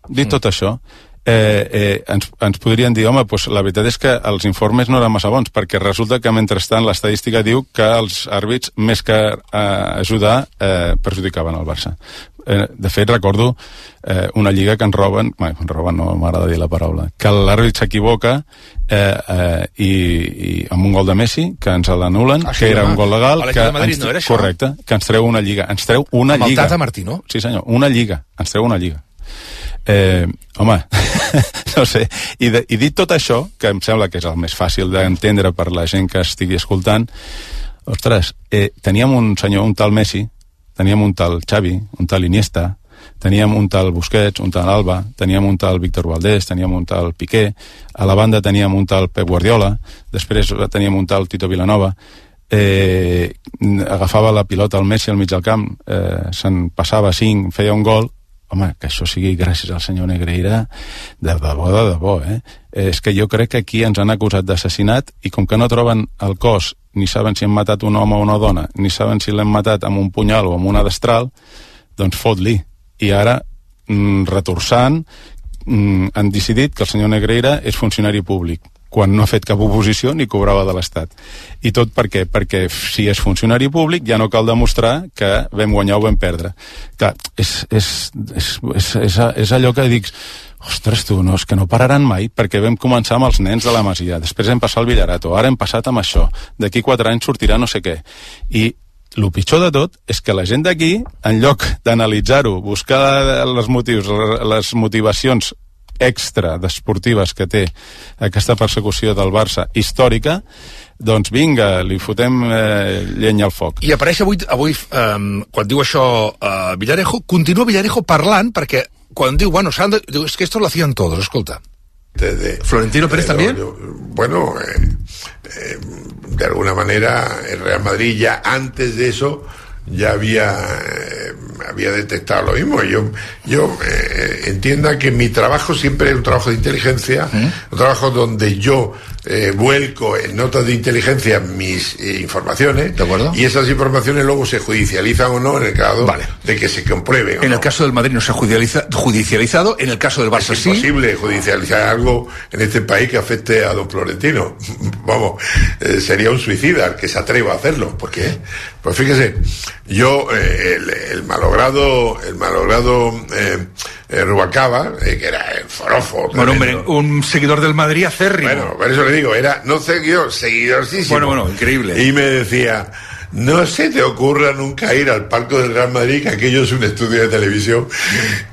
U: ens podrien dir, home, doncs la veritat és que els informes no eren massa bons, perquè resulta que mentrestant l'estadística diu que els àrbits, més que ajudar, perjudicaven el Barça. De fet, recordo una lliga que ens roben, no m'agrada dir la paraula, que l'àrbit s'equivoca i amb un gol de Messi, que ens l'anulen, que era un gol legal, correcte, que ens treu una lliga. Ens treu una lliga.
B: Amb el Tata Martino?
U: Sí, senyor, una lliga. Ens treu una lliga. Home, no sé, i dit tot això, que em sembla que és el més fàcil d'entendre per la gent que estigui escoltant, ostres, teníem un senyor, un tal Messi, teníem un tal Xavi, un tal Iniesta, teníem un tal Busquets, un tal Alba, teníem un tal Víctor Valdés, teníem un tal Piqué, a la banda teníem un tal Pep Guardiola, després teníem un tal Tito Vilanova, agafava la pilota al Messi al mig del camp, se'n passava 5, feia un gol. Home, que això sigui gràcies al senyor Negreira, de debò, És que jo crec que aquí ens han acusat d'assassinat i com que no troben el cos, ni saben si han matat un home o una dona, ni saben si l'hem matat amb un punyal o amb una destral, doncs fot-li. I ara, retorçant, han decidit que el senyor Negreira és funcionari públic, quan no ha fet cap oposició ni cobrava de l'Estat. I tot per què? Perquè si és funcionari públic ja no cal demostrar que vam guanyar o vam perdre. Clar, és allò que dic, ostres tu, no, és que no pararan mai, perquè vam començar amb els nens de la Masia, després hem passat al Villarato, ara hem passat amb això, d'aquí 4 anys sortirà no sé què. I el pitjor de tot és que la gent d'aquí, en lloc d'analitzar-ho, buscar els motius, les motivacions extra d'esportives que té aquesta persecució del Barça històrica, doncs vinga, li fotem llenya al foc.
B: I apareix avui quan diu això Villarejo, continua Villarejo parlant, perquè quan diu, bueno, diu, es que esto lo hacían todos, escolta. ¿Florentino Pérez también?
D: Bueno, de alguna manera el Real Madrid ya antes de eso ya había detectado lo mismo. Yo entienda que mi trabajo siempre es un trabajo de inteligencia, un trabajo donde yo vuelco en notas de inteligencia mis informaciones,
B: ¿de acuerdo?
D: Y esas informaciones luego se judicializan o no en el caso de que se comprueben.
B: En el caso del Madrid no se ha judicializado, en el caso del Barça sí.
D: Es imposible judicializar algo en este país que afecte a don Florentino. Vamos, sería un suicida el que se atreva a hacerlo. ¿Por qué? Pues fíjese, yo el malogrado Rubalcaba, que era el forofo.
B: Bueno, hombre, un seguidor del Madrid acérrimo.
D: Bueno, por eso le digo, era no seguidorísimo.
B: Bueno, increíble.
D: Y me decía, no se te ocurra nunca ir al palco del Real Madrid, que aquello es un estudio de televisión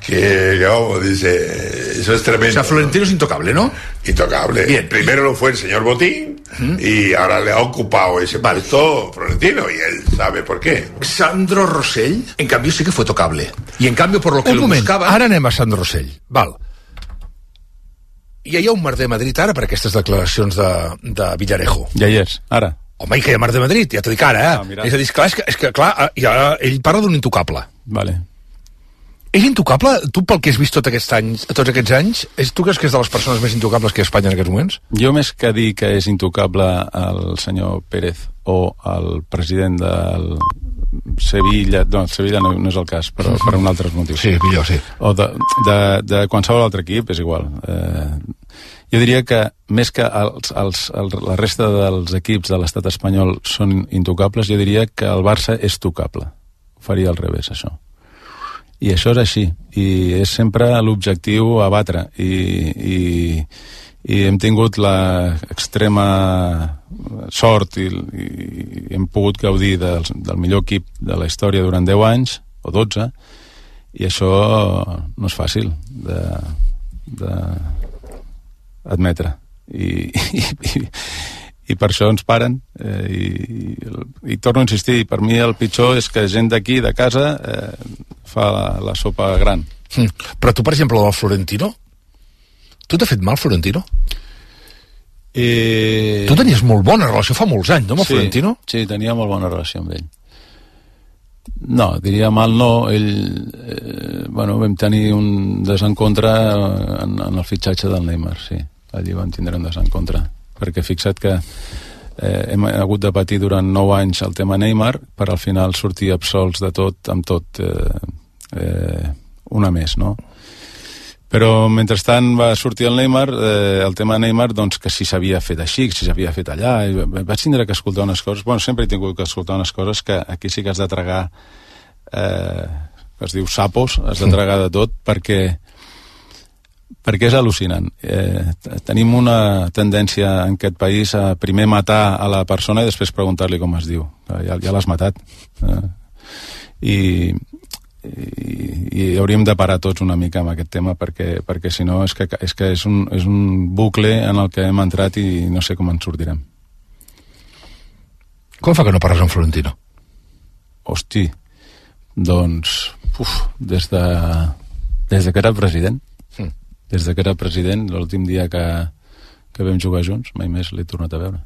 D: que vamos, dice, eso es tremendo.
B: O sea, Florentino es intocable, ¿no?
D: Intocable. Bien. Primero lo fue el señor Botín, y ahora le ha ocupado ese puesto Florentino, y él sabe por qué.
B: Sandro Rosell, en cambio, sí que fue tocable. I en canvi, per lo que lo buscava...
C: Ara anem a Sandro Rosell. Val. Hi ha un merder a Madrid ara per aquestes declaracions de Villarejo.
U: Ja hi és, ara.
C: Home, i que hi ha merder a Madrid, ja t'ho dic ara, és a dir, és que clar, ja, ell parla d'un intocable.
U: Vale.
C: És intocable? Tu, pel que has vist tots aquests anys, tu creus que és de les persones més intocables que hi ha a Espanya en aquests moments?
U: Jo, més que dir que és intocable el senyor Pérez o el president del Sevilla, no, el Sevilla no és el cas, però per un altre motiu.
C: Sí, millor, sí.
U: O de qualsevol altre equip, és igual. Jo diria que més que la resta dels equips de l'estat espanyol són intocables, jo diria que el Barça és tocable. Ho faria al revés, això. I això és així, i és sempre l'objectiu a batre, i hem tingut l'extrema sort i hem pogut gaudir del millor equip de la història durant 10 anys, o 12, i això no és fàcil d'admetre. I per això ens paren, i torno a insistir, per mi el pitjor és que gent d'aquí, de casa, fa la sopa gran.
C: Però tu, per exemple, del Florentino, tu t'ha fet mal, Florentino? Tu tenies molt bona relació fa molts anys, no, amb el Florentino?
U: Sí, tenia molt bona relació amb ell. No, diria mal no. Vam tenir un desencontre en el fitxatge del Neymar, sí. Allí vam tindre un desencontre. Perquè fixa't que hem hagut de patir durant 9 anys el tema Neymar per al final sortir absolts de tot, amb tot, una més, no? Però mentrestant va sortir el Neymar, el tema Neymar, doncs que si s'havia fet així, si s'havia fet allà, i vaig tindre que escoltar unes coses, bueno, sempre he tingut que escoltar unes coses que aquí sí que has de tragar, es diu sapos, has de tragar de tot, perquè és al·lucinant. Tenim una tendència en aquest país a primer matar a la persona i després preguntar-li com es diu. Ja l'has matat. I hauríem de parar tots una mica amb aquest tema perquè si no és que és un bucle en el que hem entrat i no sé com en sortirem.
C: Com fa que no parles amb Florentino?
U: Hosti, doncs des que era president. Des que era president, l'últim dia que vam jugar junts, mai més l'he tornat a veure.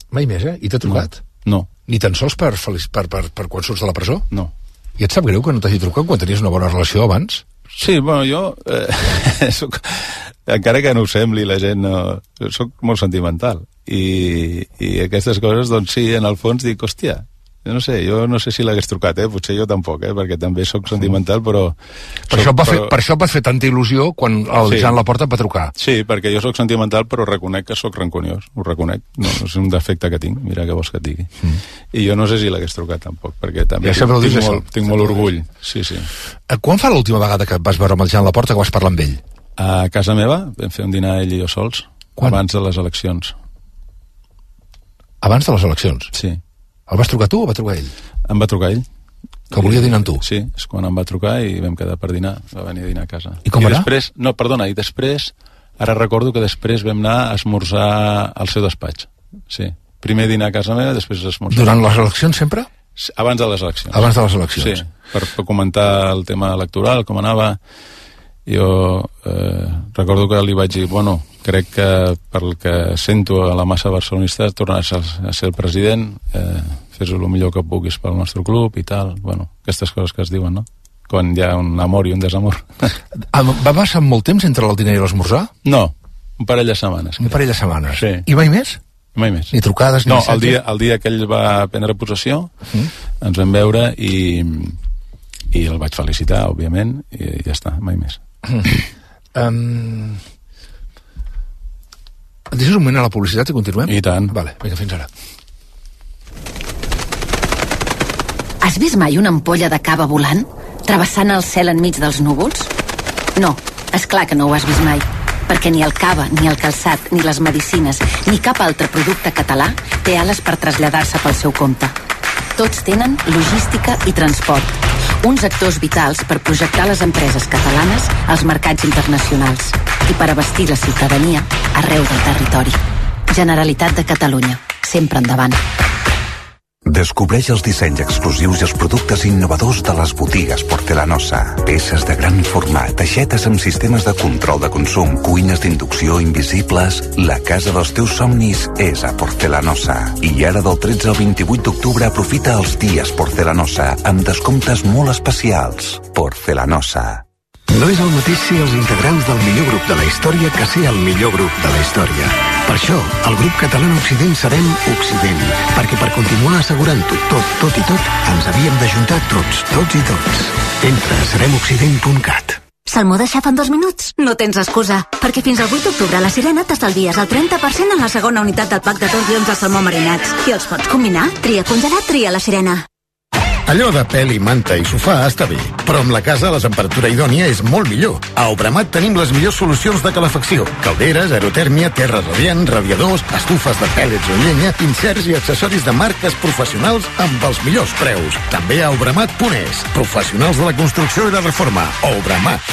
C: Mai més, I t'ha trucat?
U: No.
C: Ni tan sols per quan surts de la presó?
U: No.
C: I et sap greu que no t'hagi trucat quan tenies una bona relació abans?
U: Sí, bueno, jo encara que no ho sembli, la gent soc molt sentimental i aquestes coses, doncs sí, en el fons dic, hòstia, jo no sé si l'hagués trucat, potser jo tampoc, perquè també soc sentimental, però...
C: Per això et va fer tanta il·lusió quan el Jean Laporta et va trucar.
U: Sí, perquè jo soc sentimental, però reconec que soc rancuniós, ho reconec, no és un defecte que tinc, mira què vols que et digui. I jo no sé si l'hagués trucat tampoc, perquè també tinc molt orgull. Sí.
C: Quan fa l'última vegada que vas veure amb el Jean Laporta que vas parlar amb ell?
U: A casa meva vam fer un dinar ell i jo sols, abans de les eleccions.
C: Abans de les eleccions?
U: Sí.
C: El vas trucar tu o va trucar ell?
U: Em va trucar ell.
C: Que volia dinar amb tu?
U: Sí, és quan em va trucar i vam quedar per dinar. Va venir a dinar a casa.
C: I com era?
U: I després, ara recordo que després vam anar a esmorzar al seu despatx. Sí. Primer dinar a casa meva, després esmorzar.
C: Durant les eleccions sempre?
U: Abans de les eleccions.
C: Abans de les eleccions.
U: Sí, per comentar el tema electoral, com anava. Jo recordo que li vaig dir, bueno, crec que pel que sento a la massa barcelonista tornaràs a ser el president, fes-ho el millor que puguis pel nostre club i tal, bueno, aquestes coses que es diuen, no? Quan hi ha un amor i un desamor.
C: Va passar molt temps entre el dinar i l'esmorzar?
U: No, Un parell de setmanes.
B: Un parell de setmanes.
U: Sí.
B: I mai més?
U: Mai més.
B: Ni trucades, ni
U: missatges? No, el dia que ell va prendre possessió, ens vam veure i el vaig felicitar, òbviament, i ja està, mai més.
B: Deixes un moment a la publicitat i continuem?
U: I tant.
B: Vale, vinga, fins ara.
H: Has vist mai una ampolla de cava volant? Travessant el cel enmig dels núvols? No, és clar que no ho has vist mai, perquè ni el cava, ni el calçat, ni les medicines, ni cap altre producte català té ales per traslladar-se pel seu compte. Tots tenen logística i transport, uns actors vitals per projectar les empreses catalanes als mercats internacionals i per abastir la ciutadania arreu del territori. Generalitat de Catalunya, sempre endavant.
A: Descobreix els dissenys exclusius i els productes innovadors de les botigues Porcelanosa. Peces de gran format, aixetes amb sistemes de control de consum, cuines d'inducció invisibles... La casa dels teus somnis és a Porcelanosa. I ara del 13 al 28 d'octubre aprofita els dies Porcelanosa amb descomptes molt especials. Porcelanosa.
M: No és el mateix ser els integrants del millor grup de la història que ser el millor grup de la història. Per això, el grup català Occident serem Occident, perquè per continuar assegurant-ho tot i tot, ens havíem d'ajuntar tots i tots. Entra a seremoccident.cat.
N: Salmó de xaf en 2 minuts? No tens excusa, perquè fins al 8 d'octubre a la Sirena t'estalvies el 30% en la segona unitat del pack de torsions de salmó marinats. I els pots combinar? Tria congelat, tria la Sirena.
R: Allò de pèl i manta i sofà està bé, però amb la casa la temperatura idònia és molt millor. A Obramat tenim les millors solucions de calefacció. Calderes, aerotèrmia, terra radiant, radiadors, estufes de pèl·lets o llenya, inserts i accessoris de marques professionals amb els millors preus. També a Obramat.es. Professionals de la construcció i la reforma. Obramat.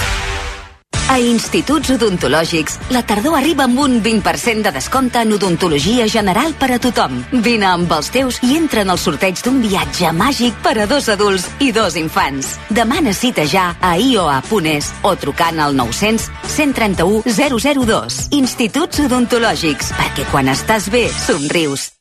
N: A Instituts Odontològics, la tardor arriba amb un 20% de descompte en odontologia general per a tothom. Vine amb els teus i entra en el sorteig d'un viatge màgic per a 2 adults i 2 infants. Demana cita ja a ioa.es o trucant al 900 131 002. Instituts Odontològics, perquè quan estàs bé, somrius.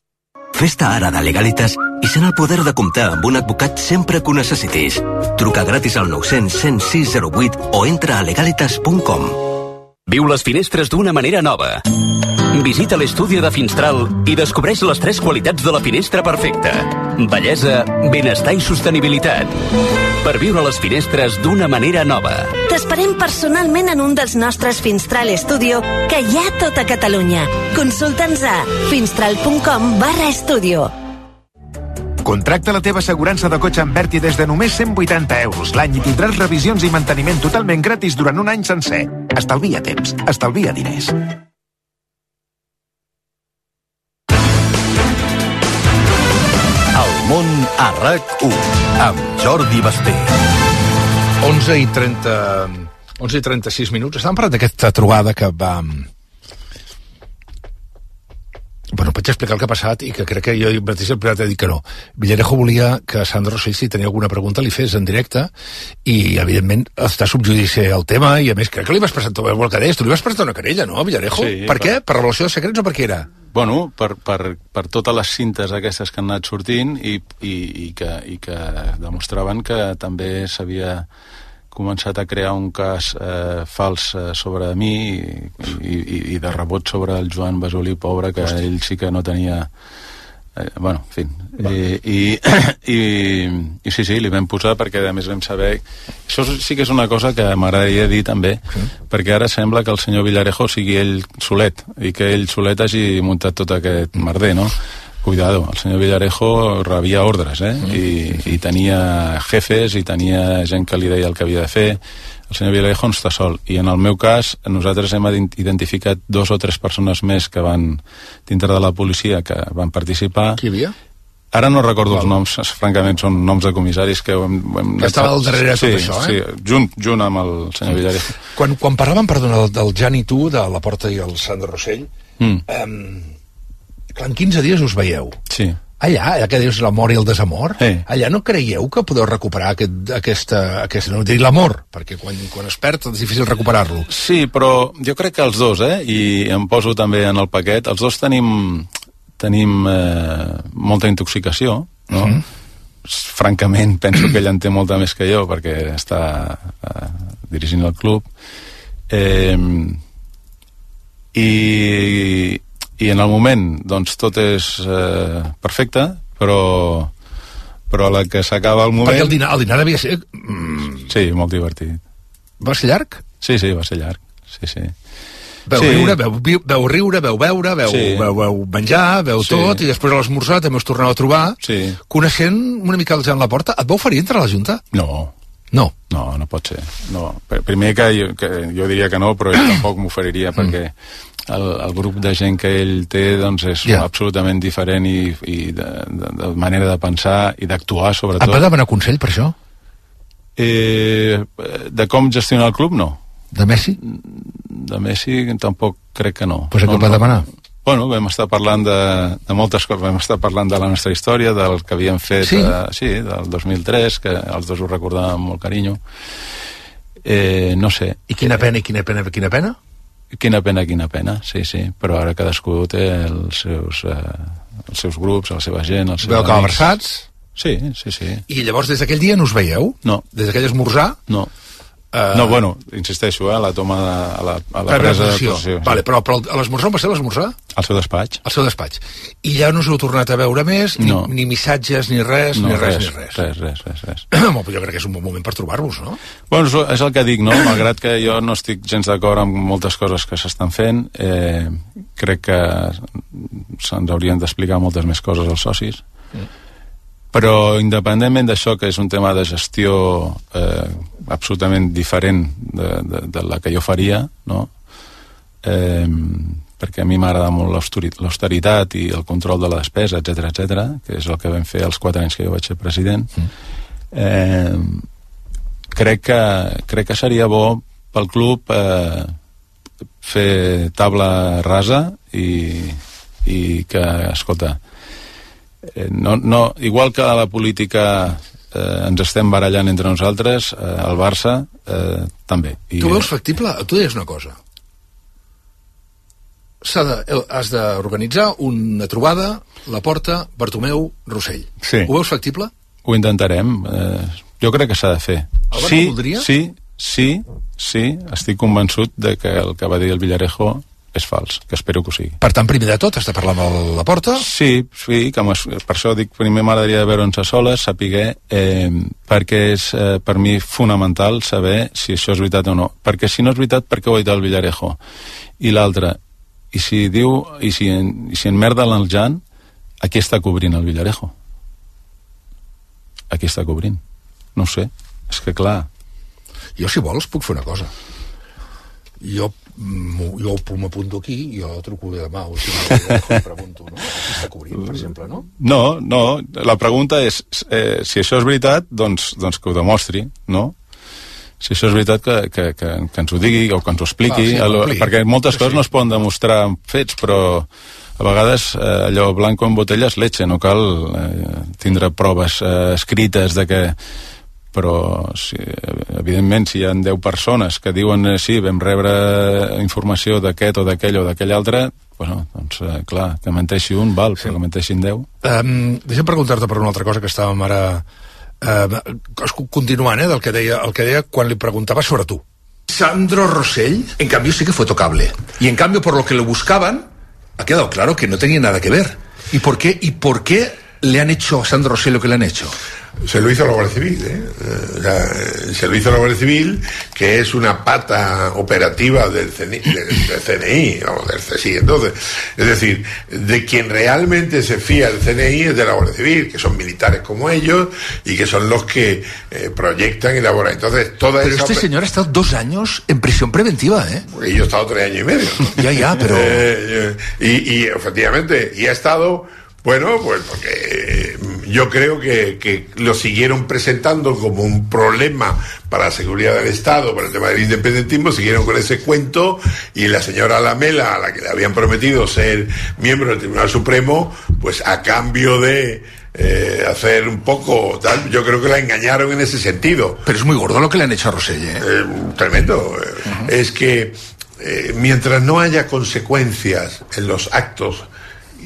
F: Fes-te ara de Legalitas i sent el poder de comptar amb un advocat sempre que ho necessitis. Truca gratis al 900 106 08 o entra a legalitas.com.
W: Viu les finestres d'una manera nova. Visita l'estudi de Finstral i descobreix les 3 qualitats de la finestra perfecta. Bellesa, benestar i sostenibilitat. Per viure les finestres d'una manera nova.
P: T'esperem personalment en un dels nostres Finstral Studio que hi ha a tota Catalunya. Consulta'ns a finstral.com/estudio.
X: Contracta la teva assegurança de cotxe amb Berti des de només 180 euros l'any i tindràs revisions i manteniment totalment gratis durant un any sencer. Estalvia temps, estalvia diners.
R: El món a RAC1 amb Jordi Basté.
B: 11:36 minuts. Estàvem parlant d'aquesta trobada que va... Bueno, vaig explicar el que ha passat i que crec que jo mateix el primer he dit que no. Villarejo volia que Sandro Rossell, si tenia alguna pregunta, li fes en directe i, evidentment, està subjudici el tema i, a més, crec que li vas presentar, tu li vas presentar una querella, no, Villarejo?
U: Sí.
B: Per què? Per revelació de secrets o per què era?
U: Bueno, per totes les cintes aquestes que han anat sortint i que demostraven que també s'havia començat a crear un cas fals sobre mi i de rebot sobre el Joan Basolí, pobre, que ell sí que no tenia... bueno, en fi. I sí, li vam posar perquè a més vam saber... Això sí que és una cosa que m'agradaria dir també, perquè ara sembla que el senyor Villarejo sigui ell solet, i que ell solet hagi muntat tot aquest merder, no? Cuidado, el senyor Villarejo rebia ordres, i tenia jefes i tenia gent que li deia el que havia de fer. El senyor Villarejo no està sol, i en el meu cas nosaltres hem identificat 2 o 3 persones més que van dintre de la policia que van participar.
B: Qui hi havia?
U: Ara no recordo els noms, francament són noms de comissaris que
B: que estava al darrere de tot això,
U: Sí, junt amb el senyor Villarejo.
B: Quan parlàvem, perdona, del Jan i tu, de la Porta i el Sandro Rossell, clar, en 15 dies us veieu.
U: Sí.
B: Allà que dius l'amor i el desamor, allà no creieu que podeu recuperar aquesta no dir l'amor, perquè quan es perd és difícil recuperar-lo.
U: Sí, però jo crec que els dos, i em poso també en el paquet, els dos tenim molta intoxicació, no? Francament, penso que ell en té molta més que jo, perquè està dirigint el club. i en el moment doncs tot és perfecte, però a la que s'acaba el moment...
B: Perquè el dinar devia ser...
U: Sí, molt divertit.
B: Va ser llarg?
U: Sí, va ser llarg, sí.
B: Veu riure, veu beure, veu menjar, veu tot, i després a l'esmorzar també us torneu a trobar. Coneixent una mica el Jan Laporta, et va oferir entrar a la Junta?
U: No, no pot ser. No. Primer que jo diria que no, però ell tampoc m'oferiria, perquè el grup de gent que ell té doncs és absolutament diferent i de manera de pensar i d'actuar, sobretot.
B: Et va demanar consell per això?
U: De com gestionar el club, no.
B: De Messi?
U: De Messi tampoc crec que no.
B: Pues què va demanar?
U: Bueno, vam estar parlant de moltes coses, vam estar parlant de la nostra història, del que havíem fet, del 2003, que els dos ho recordàvem amb molt carinyo. No sé.
B: I quina pena?
U: Quina pena, sí. Però ara cadascú té els seus grups, la seva gent, els seus
B: amics. Veu que abraçats?
U: Sí.
B: I llavors des d'aquell dia no us veieu?
U: No.
B: Des d'aquell esmorzar?
U: No. No, bueno, insisteixo, a la toma a la presa de decisió.
B: Vale, però a l'esmorzar on va ser l'esmorzar?
U: Al seu despatx.
B: Al seu despatx. I ja no us heu tornat a veure més? Ni missatges, ni res?
U: Res.
B: Jo crec que és un bon moment per trobar-vos, no?
U: Bueno, és el que dic, no? Malgrat que jo no estic gens d'acord amb moltes coses que s'estan fent, crec que se'ns haurien d'explicar moltes més coses als socis. Però independentment d'això, que és un tema de gestió absolutament diferent de la que jo faria, no? Perquè a mi m'agrada molt l'austeritat i el control de la despesa, etc, que és el que vam fer els 4 anys que jo vaig ser president. Crec que seria bo pel club fer taula rasa i que, escolta, igual que a la política ens estem barallant entre nosaltres, al Barça també.
B: Tu veus factible? Tu deies una cosa. Has d'organitzar una trobada, Laporta, Bartomeu, Rossell.
U: Sí.
B: Ho veus factible?
U: Ho intentarem. Jo crec que s'ha de fer.
B: El Barça voldria?
U: Sí, estic convençut de que el que va dir el Villarejo és fals, que espero que ho sigui.
B: Per tant, primer de tot, has de parlar amb Laporta?
U: Sí, que per això dic, primer m'agradaria veure'ns a soles, saber, perquè és per mi fonamental saber si això és veritat o no. Perquè si no és veritat, per què ho ha dit el Villarejo? I l'altre, i si enmerda el Jan, a qui està cobrint el Villarejo? A qui està cobrint? No ho sé, és que clar...
B: Jo, si vols, puc fer una cosa. Jo m'apunto aquí, jo truco demà o si no, pregunto, no? Qui està cobrint, per exemple, no?
U: No, la pregunta és si això és veritat, doncs que ho demostri, no? Si això és veritat, que ens ho digui o que ens ho expliqui, perquè moltes coses no es poden demostrar amb fets, però a vegades allò blanco en botella és leche, no cal tindre proves escrites de que... però evidentment si hi ha 10 persones que diuen sí, vam rebre informació d'aquest o d'aquell o d'aquell altre, doncs clar, que menteixi un val, però que menteixin 10.
B: Deixa'm preguntar-te per una altra cosa que estàvem ara continuant del que deia quan li preguntava sobre tu. Sandro Rossell, en cambio, sí que fue tocable. Y en cambio, por lo que lo buscaban, ha quedado claro que no tenía nada que ver. ¿Y por qué le han hecho a Sandro Rossell lo que le han hecho?
D: Se lo hizo la Guardia Civil, se lo hizo la Guardia Civil, que es una pata operativa del CNI, vamos, del CSI. Entonces, es decir, de quien realmente se fía el CNI es de la Guardia Civil, que son militares como ellos y que son los que proyectan y elaboran. Entonces,
B: pero este señor ha estado 2 años en prisión preventiva, ¿eh?
D: Y yo he estado 3 años y medio.
B: Ya, pero...
D: y efectivamente, y ha estado... Bueno, pues porque yo creo que lo siguieron presentando como un problema para la seguridad del Estado, para el tema del independentismo, siguieron con ese cuento, y la señora Lamela, a la que le habían prometido ser miembro del Tribunal Supremo, pues a cambio de hacer un poco tal, yo creo que la engañaron en ese sentido.
B: Pero es muy gordo lo que le han hecho a Rossell,
D: tremendo. Es que mientras no haya consecuencias en los actos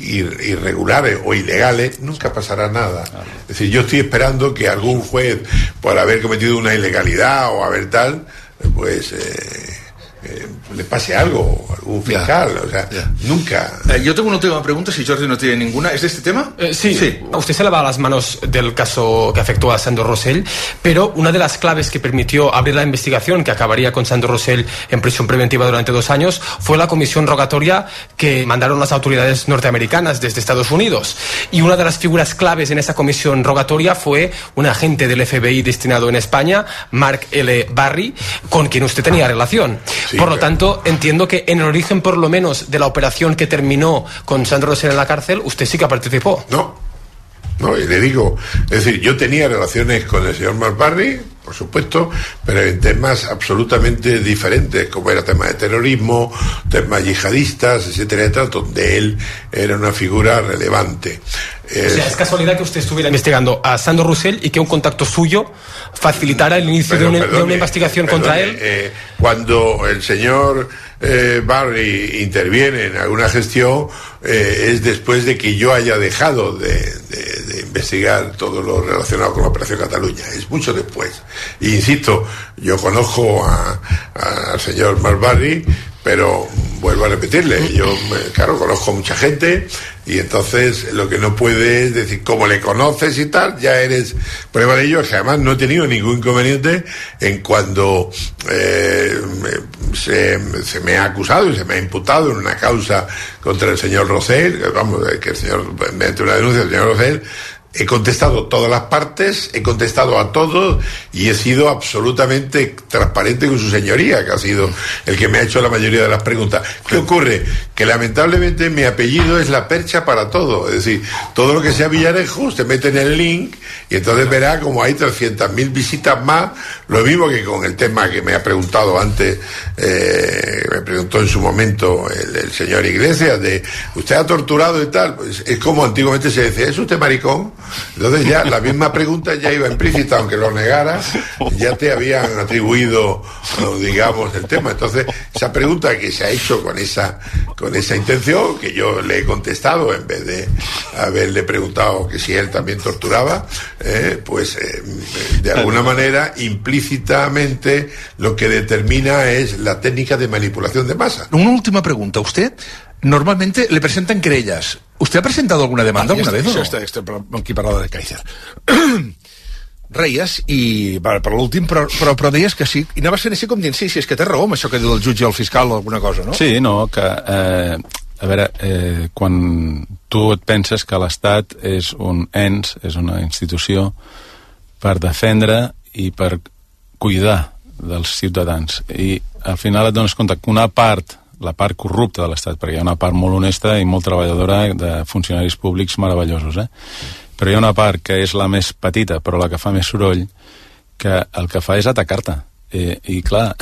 D: irregulares o ilegales, nunca pasará nada. Es decir, yo estoy esperando que algún juez, por haber cometido una ilegalidad o haber tal, pues le pase algo, algún fiscal, nunca.
C: Yo tengo una última pregunta, si Jordi no tiene ninguna. ¿Es de este tema?
K: Sí. Usted se lava las manos del caso que afectó a Sandro Rosell, pero una de las claves que permitió abrir la investigación que acabaría con Sandro Rosell en prisión preventiva durante 2 años fue la comisión rogatoria que mandaron las autoridades norteamericanas desde Estados Unidos. Y una de las figuras claves en esa comisión rogatoria fue un agente del FBI destinado en España, Mark L. Barry, con quien usted tenía relación. Sí, por lo tanto, entiendo que en el origen, por lo menos, de la operación que terminó con Sandro Rosell en la cárcel, usted sí que participó.
D: No, y le digo, es decir, yo tenía relaciones con el señor Mark Barry, por supuesto, pero en temas absolutamente diferentes, como era tema de terrorismo, temas yihadistas, etcétera, donde él era una figura relevante.
K: O sea, es casualidad que usted estuviera investigando a Sandro Rosell y que un contacto suyo facilitara el inicio de una investigación contra él.
D: Cuando el señor Barry interviene en alguna gestión, es después de que yo haya dejado de investigar todo lo relacionado con la Operación Cataluña. Es mucho después. Y insisto, yo conozco al señor Mark Barry, pero vuelvo a repetirle, yo claro, conozco mucha gente, y entonces lo que no puede es decir, como le conoces y tal, ya eres prueba de ello, que además no he tenido ningún inconveniente en cuando se me ha acusado y se me ha imputado en una causa contra el señor Rosell, que el señor, mediante una denuncia del señor Rosell, he contestado todas las partes, he contestado a todos y he sido absolutamente transparente con su señoría, que ha sido el que me ha hecho la mayoría de las preguntas. ¿Qué ocurre? Que lamentablemente mi apellido es la percha para todo. Es decir, todo lo que sea Villarejo, usted mete en el link y entonces verá como hay 300.000 visitas más. Lo mismo que con el tema que me ha preguntado antes, me preguntó en su momento el señor Iglesias, de usted ha torturado y tal. Pues es como antiguamente se decía, ¿es usted maricón? Entonces ya la misma pregunta ya iba implícita, aunque lo negara, ya te habían atribuido, digamos, el tema. Entonces esa pregunta que se ha hecho con esa intención, que yo le he contestado en vez de haberle preguntado que si él también torturaba, de alguna manera implícitamente lo que determina es la técnica de manipulación de masa.
C: Una última pregunta. ¿Usted normalmente le presentan querellas? ¿Usted ha presentado alguna demanda alguna vez? Aquí parlava de Kaiser. Reies, i per l'últim, però deies que sí, i anaves fent així com dient, sí, és que té raó amb això que diu el jutge o el fiscal o alguna cosa, no?
U: Sí, no, que, a veure, quan tu et penses que l'Estat és un ens, és una institució per defendre i per cuidar dels ciutadans, i al final et dones compte que una part, la part corrupta de l'Estat, perquè hi ha una part molt honesta i molt treballadora de funcionaris públics meravellosos, però hi ha una part que és la més petita, però la que fa més soroll, que el que fa és atacar-te. I clar,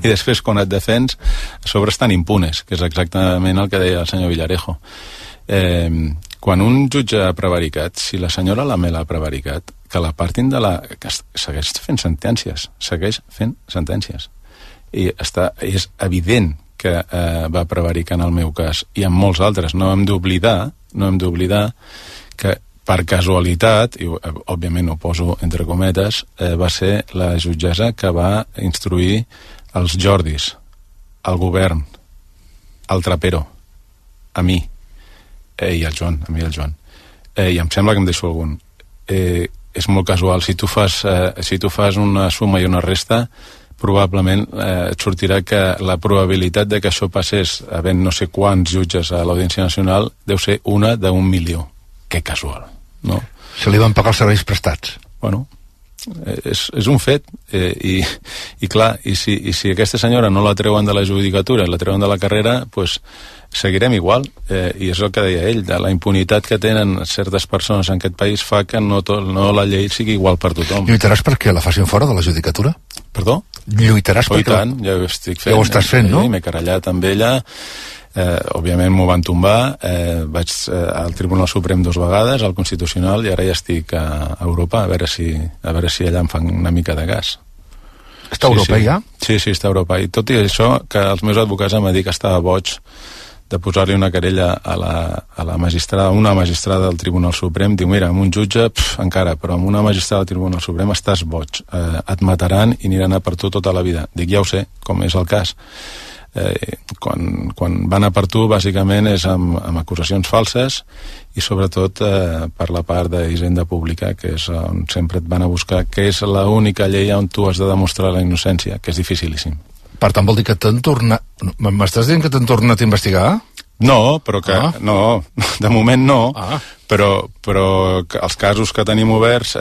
U: i després quan et defens, a sobre estan impunes, que és exactament el que deia el senyor Villarejo. Quan un jutge ha prevaricat, si la senyora Lamela ha prevaricat, que la partin de la... que segueix fent sentències. I és evident que va prevaricar en el meu cas i en molts altres. No hem d'oblidar que per casualitat, i òbviament ho poso entre cometes, va ser la jutgessa que va instruir els Jordis, al govern, al Trapero, a mi i al Joan, i em sembla que em deixo algun. És molt casual. Si tu fas una suma i una resta, probablement et sortirà que la probabilitat de que això passés havent no sé quants jutges a l'Audiència Nacional deu ser una d'1 milió. Que casual, no?
C: Se li van pagar els serveis prestats.
U: Bueno, és un fet, i clar, i si aquesta senyora no la treuen de la judicatura, la treuen de la carrera, doncs seguirem igual, i és el que deia ell, la impunitat que tenen certes persones en aquest país fa que no la llei sigui igual per tothom.
C: Lluitaràs perquè la facin fora de la judicatura?
U: Perdó?
C: Lluitaràs perquè...
U: tant, ja ho estic fent.
C: Ja ho estàs fent, no?
U: M'he querellat amb ella, òbviament m'ho van tombar, vaig al Tribunal Suprem 2 vegades, al Constitucional, i ara ja estic a Europa, a veure si allà em fan una mica de gas.
C: Està a Europa, ja?
U: Sí, està a Europa, i tot i això, que els meus advocats em van dir que estava boig de posar-li una querella a la magistrada, una magistrada del Tribunal Suprem, diu, mira, amb un jutge, encara, però amb una magistrada del Tribunal Suprem estàs boig, et mataran i aniran a per tu tota la vida. Dic, ja ho sé, com és el cas. Quan van a per tu, bàsicament és amb acusacions falses i sobretot per la part d'Hisenda Pública, que és on sempre et van a buscar, que és l'única llei on tu has de demostrar la innocència, que és dificilíssim.
B: Per tant, vol dir que t'han tornat... M'estàs dient que t'han tornat a investigar?
U: No, però que... No, de moment no, però els casos que tenim oberts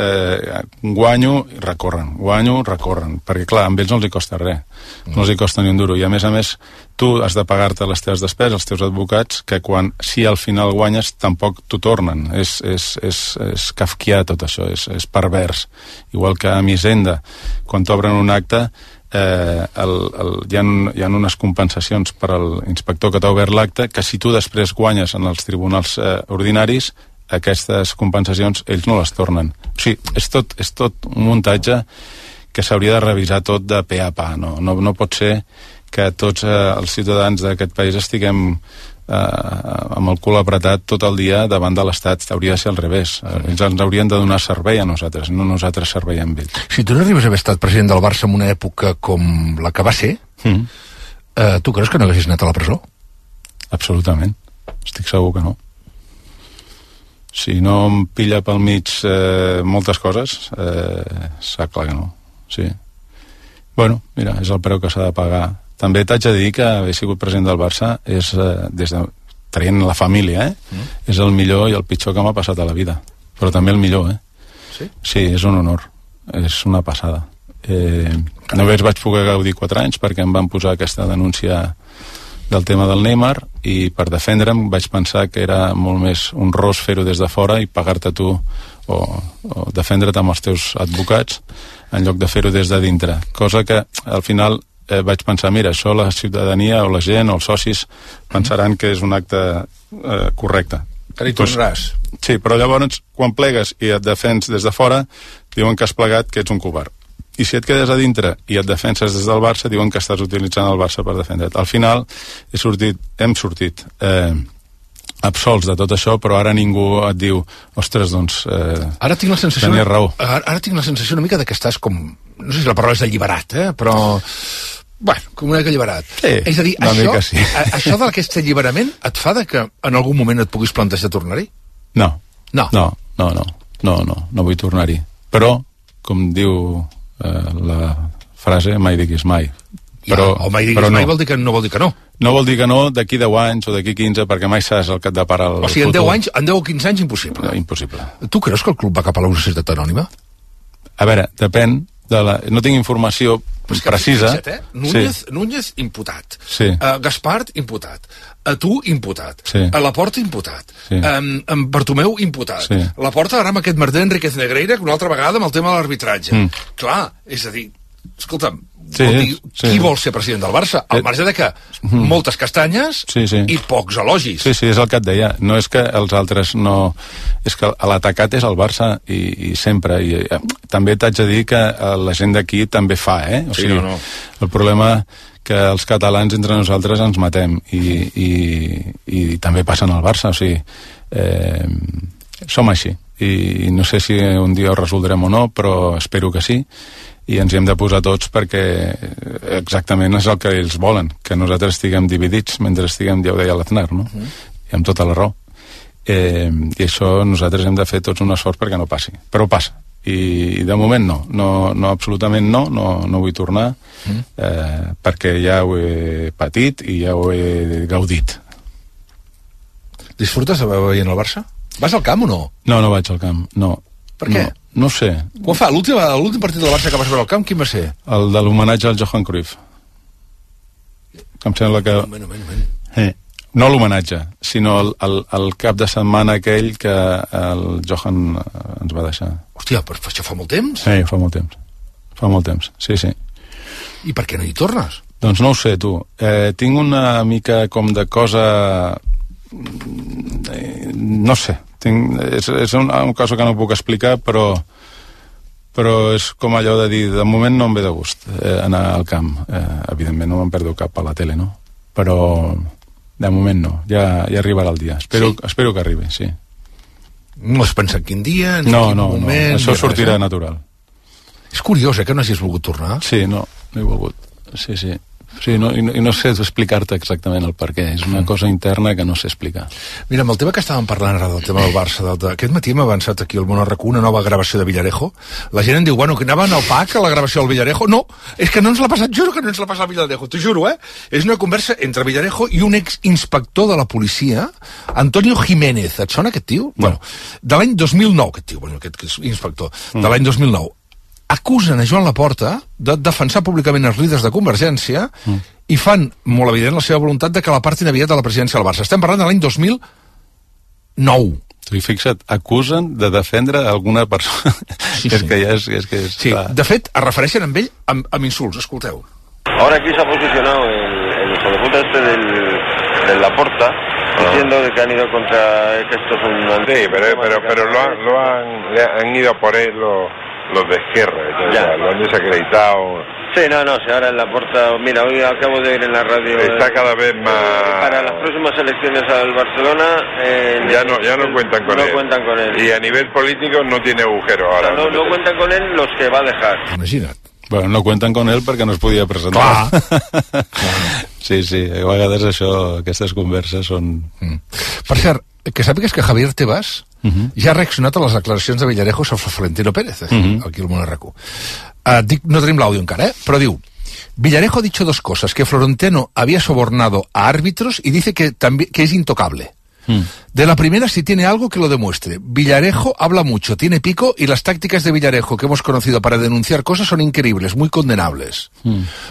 U: guanyo i recorren, perquè clar, amb ells no els hi costa res, no els hi costa ni un duro, i a més, tu has de pagar-te les teves despeses, els teus advocats, que si al final guanyes tampoc t'ho tornen. És kafkià tot això, és pervers. Igual que amb Hisenda, quan t'obren un acte, hi ha unes compensacions per a l'inspector que t'ha obert l'acte, que si tu després guanyes en els tribunals ordinaris, aquestes compensacions ells no les tornen. O sigui, és tot un muntatge que s'hauria de revisar tot de pe a pa. No pot ser que tots els ciutadans d'aquest país estiguem amb el cul apretat tot el dia davant de l'Estat. Hauria de ser al revés. Ells ens haurien de donar servei a nosaltres, no nosaltres servei amb ells.
B: Si tu no arribes a haver estat president del Barça en una època com la que va ser, tu creus que no haguessis anat a la presó?
U: Absolutament. Estic segur que no. Si no em pilla pel mig moltes coses, està clar que no. Sí. Bueno, mira, és el preu que s'ha de pagar. També t'haig de dir que haver sigut president del Barça és, traient la família, és el millor i el pitjor que m'ha passat a la vida. Però també el millor,
B: Sí?
U: Sí, és un honor. És una passada. Només vaig poder gaudir 4 anys perquè em van posar aquesta denúncia del tema del Neymar i per defendre'm vaig pensar que era molt més honrós fer-ho des de fora i pagar-te tu o defendre't amb els teus advocats en lloc de fer-ho des de dintre, cosa que al final vaig pensar, mira, això la ciutadania o la gent o els socis pensaran que és un acte correcte.
B: Que hi tornaràs.
U: Sí, però llavors quan plegues i et defens des de fora diuen que has plegat, que ets un covard. I si et quedes a dintre i et defenses des del Barça, diuen que estàs utilitzant el Barça per defendre't. Al final hem sortit absolts de tot això, però ara ningú et diu, ostres, doncs,
B: ara tinc la sensació,
U: tenies raó.
B: Ara tinc la sensació una mica de que estàs com, no sé si la paraula és alliberat, però, bueno, com una mica alliberat.
U: Sí,
B: és a dir,
U: sí.
B: això d'aquest alliberament et fa de que en algun moment et puguis plantejar tornar-hi?
U: No vull tornar-hi. Però, com diu la frase, mai diguis mai.
B: Però mai diguis mai vol dir que no vol dir que no.
U: No vol dir que no d'aquí 10 anys o d'aquí 15, perquè mai saps el que et depara el futur.
B: O sigui, en 10 o 15 anys, impossible.
U: Impossible.
B: Tu creus que el club va cap a la societat anònima?
U: A veure, depèn de la... No tinc informació precisa.
B: Núñez, imputat.
U: Sí.
B: Gaspart, imputat. Tu, imputat.
U: Sí.
B: A Laporta, imputat.
U: Sí.
B: Bartomeu, imputat.
U: Sí.
B: Laporta ara amb aquest merder Enriquez Negreira, que una altra vegada amb el tema de l'arbitratge. Clar, és a dir, escolta'm, qui vol ser president del Barça? Al marge de que moltes castanyes i pocs elogis.
U: Sí, és el que et deia. No és que els altres no... És que l'atacat és el Barça i sempre. I també t'haig de dir que la gent d'aquí també fa, O sigui, el problema que els catalans entre nosaltres ens matem i també passen al Barça, o sigui, som així. I no sé si un dia ho resoldrem o no, però espero que sí. I ens hi hem de posar tots perquè exactament és el que ells volen, que nosaltres estiguem dividits mentre estiguem, ja ho deia l'Aznar, no? I amb tota la raó. I això nosaltres hem de fer tots un esforç perquè no passi. Però passa. I de moment no, absolutament no vull tornar perquè ja ho he patit i ja ho he gaudit.
B: Disfrutes de veient el Barça? Vas al camp o no?
U: No vaig al camp, no.
B: Per què?
U: No sé.
B: Quan fa? L'últim partit del Barça que vas veure al camp, quin va ser?
U: El de l'homenatge al Johan Cruyff. Em sembla que... No l'homenatge, sinó el cap de setmana aquell que el Johan ens va deixar.
B: Hòstia, però això fa molt temps?
U: Sí, fa molt temps. Fa molt temps, sí.
B: I per què no hi tornes?
U: Doncs no ho sé, tu. Tinc una mica com de cosa... No sé. És una cosa que no puc explicar, però és com allò de dir, de moment no em ve de gust anar al camp. Evidentment no me'n perdo cap a la tele, no? Però De moment no, ja arribarà el dia. Espero que arribi, sí.
B: No has pensat quin dia, ni
U: quin
B: moment...
U: No, això sortirà natural.
B: És curiós, que no hagis volgut tornar.
U: Sí, no he volgut, sí. Sí, i no sé explicar-te exactament el per què. És una cosa interna que no sé explicar.
B: Mira, amb el tema que estàvem parlant ara del tema del Barça, aquest matí hem avançat aquí al Món RQ una nova gravació de Villarejo. La gent em diu, bueno, que anaven al PAC a la gravació del Villarejo. No, és que no ens l'ha passat, juro que no ens l'ha passat Villarejo, t'ho juro, És una conversa entre Villarejo i un exinspector de la policia, Antonio Jiménez. Et sona aquest tio? No. Bueno, de l'any 2009, aquest tio, aquest inspector, de l'any 2009. Acusen a Joan Laporta de defensar públicament els líders de Convergència i fan molt evident la seva voluntat de que l'apartin aviat de la presidència del Barça. Estem parlant de l'any 2009.
U: I fixa't, acusen de defendre alguna persona. Sí.
B: Sí, de fet, es refereixen amb ell amb insults. Escolteu.
E: Ahora aquí se ha posicionado el hijo de puta del Laporta diciendo de que han ido contra que esto es un...
V: Sí, pero le han ido por él los de izquierda, lo han desacreditado.
E: Sí, no, si ahora en Laporta, mira, hoy acabo de ir en la radio.
V: Está cada vez más...
E: Para las próximas elecciones al Barcelona...
V: ya no cuentan con él. No cuentan con él. Y a nivel político no tiene agujero ahora.
E: No cuentan con él los que va a dejar.
B: Imagina't.
U: Bueno, no cuenten con ell perquè no es podia presentar. Sí, a vegades aquestes converses són...
B: Per cert, que sàpigues que Javier Tebas ja ha reaccionat a les declaracions de Villarejo sobre Florentino Pérez, aquí al Món RQ. No tenim l'àudio encara, però diu: Villarejo ha dicho dos cosas, que Florentino había sobornado a árbitros y dice que es intocable. De la primera, si tiene algo que lo demuestre. Villarejo habla mucho, tiene pico, y las tácticas de Villarejo que hemos conocido para denunciar cosas son increíbles, muy condenables.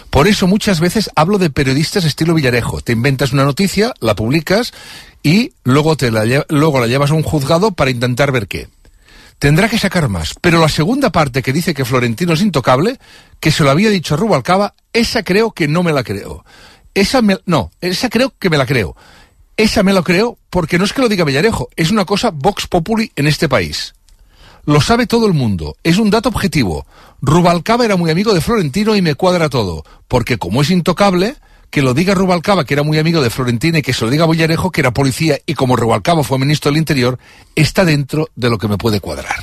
B: Por eso muchas veces hablo de periodistas estilo Villarejo. Te inventas una noticia, la publicas y luego la llevas a un juzgado para intentar ver qué. Tendrá que sacar más. Pero la segunda parte que dice que Florentino es intocable, que se lo había dicho a Rubalcaba, esa creo que no me la creo. Esa creo que me la creo. Esa me lo creo porque no es que lo diga Villarejo, es una cosa Vox Populi en este país. Lo sabe todo el mundo, es un dato objetivo. Rubalcaba era muy amigo de Florentino y me cuadra todo, porque como es intocable, que lo diga Rubalcaba, que era muy amigo de Florentino, y que se lo diga Villarejo, que era policía, y como Rubalcaba fue ministro del Interior, está dentro de lo que me puede cuadrar.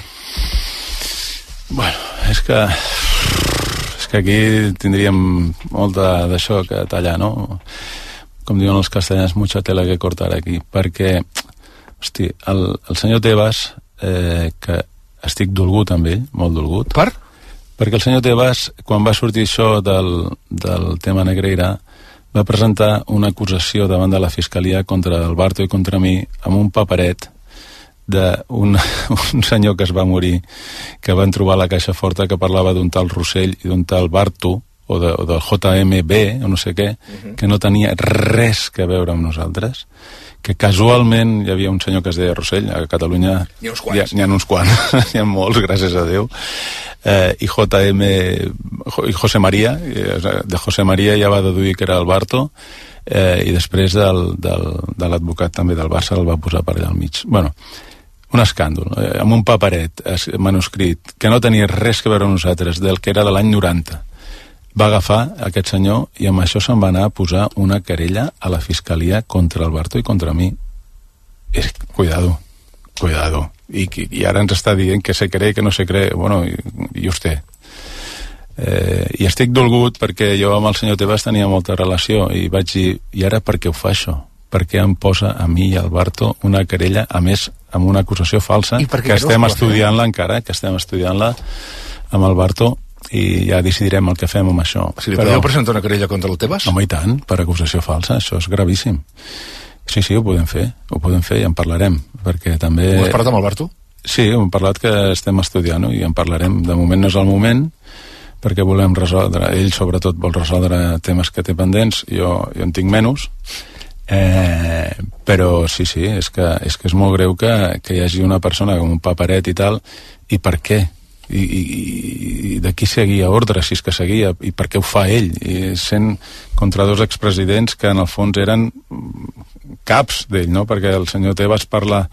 U: Bueno, és que aquí tindríem molta d'això que tallar, no? Com diuen els castellans, mucha tela que cortar aquí, perquè, hosti, el senyor Tebas, que estic dolgut amb ell, molt dolgut.
B: Per?
U: Perquè el senyor Tebas, quan va sortir això del tema Negreira, va presentar una acusació davant de la Fiscalia contra el Barto i contra mi amb un paperet d'un senyor que es va morir, que van trobar a la Caixa Forta, que parlava d'un tal Rossell i d'un tal Barto, o del JMB, o no sé què, que no tenia res que veure amb nosaltres, que casualment hi havia un senyor que es deia Rossell, a Catalunya
B: n'hi
U: ha uns quants, n'hi ha molts, gràcies a Déu, i José María, de José María ja va deduir que era el Barto, i després de l'advocat també del Barça el va posar per allà al mig. Bueno, un escàndol, amb un paperet manuscrit que no tenia res que veure amb nosaltres, del que era de l'any 90. Va agafar aquest senyor i amb això se'n va anar a posar una querella a la Fiscalia contra el Barto i contra mi. Cuidado. I ara ens està dient que se cree, que no se cree. Bueno, i vostè. I estic dolgut perquè jo amb el senyor Tebas tenia molta relació i vaig dir, i ara per què ho fa això? Per què em posa a mi i al Barto una querella, a més, amb una acusació falsa, que estem estudiant-la encara, amb el Barto, i ja decidirem el que fem amb això.
B: Si li podeu presentar una querella contra el Tebas?
U: Home, i tant, per acusació falsa, això és gravíssim. Sí, ho podem fer i en parlarem, perquè també...
B: Ho has parlat amb el Barto?
U: Sí, hem parlat que estem estudiant i en parlarem. De moment no és el moment, perquè volem resoldre, ell sobretot vol resoldre temes que té pendents, jo en tinc menys, però sí, és que és molt greu que hi hagi una persona com un paperet i tal, i per què? I de qui seguia ordre, si és que seguia, i per què ho fa ell, i sent contra dos expresidents que en el fons eren caps d'ell, no? Perquè el senyor Tebas parla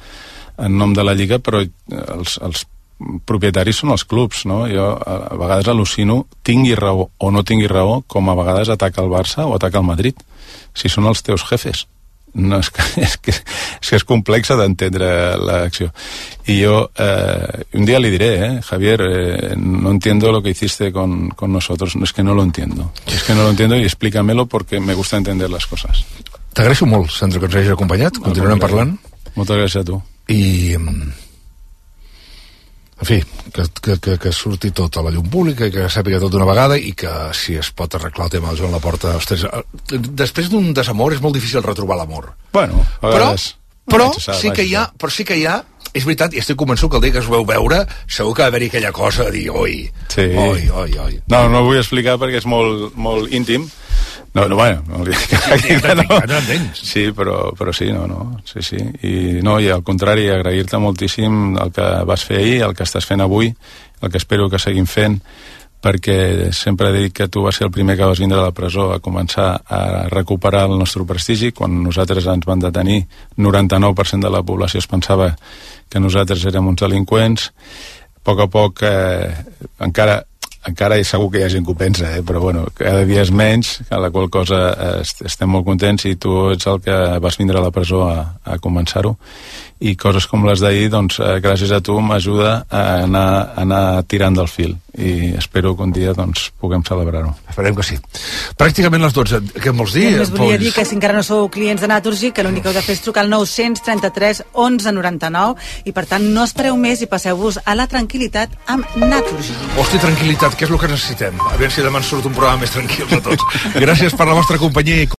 U: en nom de la Lliga, però els propietaris són els clubs, no? Jo a vegades al·lucino, tingui raó o no tingui raó, com a vegades ataca el Barça o ataca el Madrid, si són els teus jefes, no, és que és complexa d'entendre l'acció. Y yo un día le diré, Javier, no entiendo lo que hiciste con nosotros, es que no lo entiendo. Es que no lo entiendo y explícamelo porque me gusta entender las cosas.
B: T'agraeixo molt, Sandro, que ens hagis acompanyat. Continuarem parlant.
U: Moltes gràcies a tu.
B: I, en fi, que surti tot a la llum pública i que sàpiga tot d'una vegada i que si es pot arreglar el tema del Joan Laporta, ostres, després d'un desamor és molt difícil retrobar l'amor.
U: Bueno, a vegades...
B: Però sí que hi ha, és veritat, i estic convençut que el dia que es veu veure segur que va haver-hi aquella cosa de dir oi.
U: No vull explicar perquè és molt íntim. No, sí, però sí, sí. I al contrari, agrair-te moltíssim el que vas fer ahir, el que estàs fent avui, el que espero que seguim fent, perquè sempre he dit que tu vas ser el primer que vas vindre a la presó a començar a recuperar el nostre prestigi. Quan nosaltres ens van detenir, 99% de la població es pensava que nosaltres érem uns delinqüents. A poc encara segur que hi ha gent que ho pensa, però bueno, cada dia és menys, a la qual cosa estem molt contents i tu ets el que vas vindre a la presó a començar-ho. I coses com les d'ahir, doncs, gràcies a tu m'ajuda a anar tirant del fil i espero que un dia doncs, puguem celebrar-ho.
B: Esperem que sí. Pràcticament les 12. Què em vols dir?
G: Només volia dir que si encara no sou clients de Naturgy, que l'únic que heu de fer és trucar al 933 11 99 i per tant no espereu més i passeu-vos a la tranquil·litat amb Naturgy.
B: Hosti, tranquil·litat, que és el que necessitem. A veure si demà ens surt un programa més tranquil de tots. Gràcies per la vostra companyia.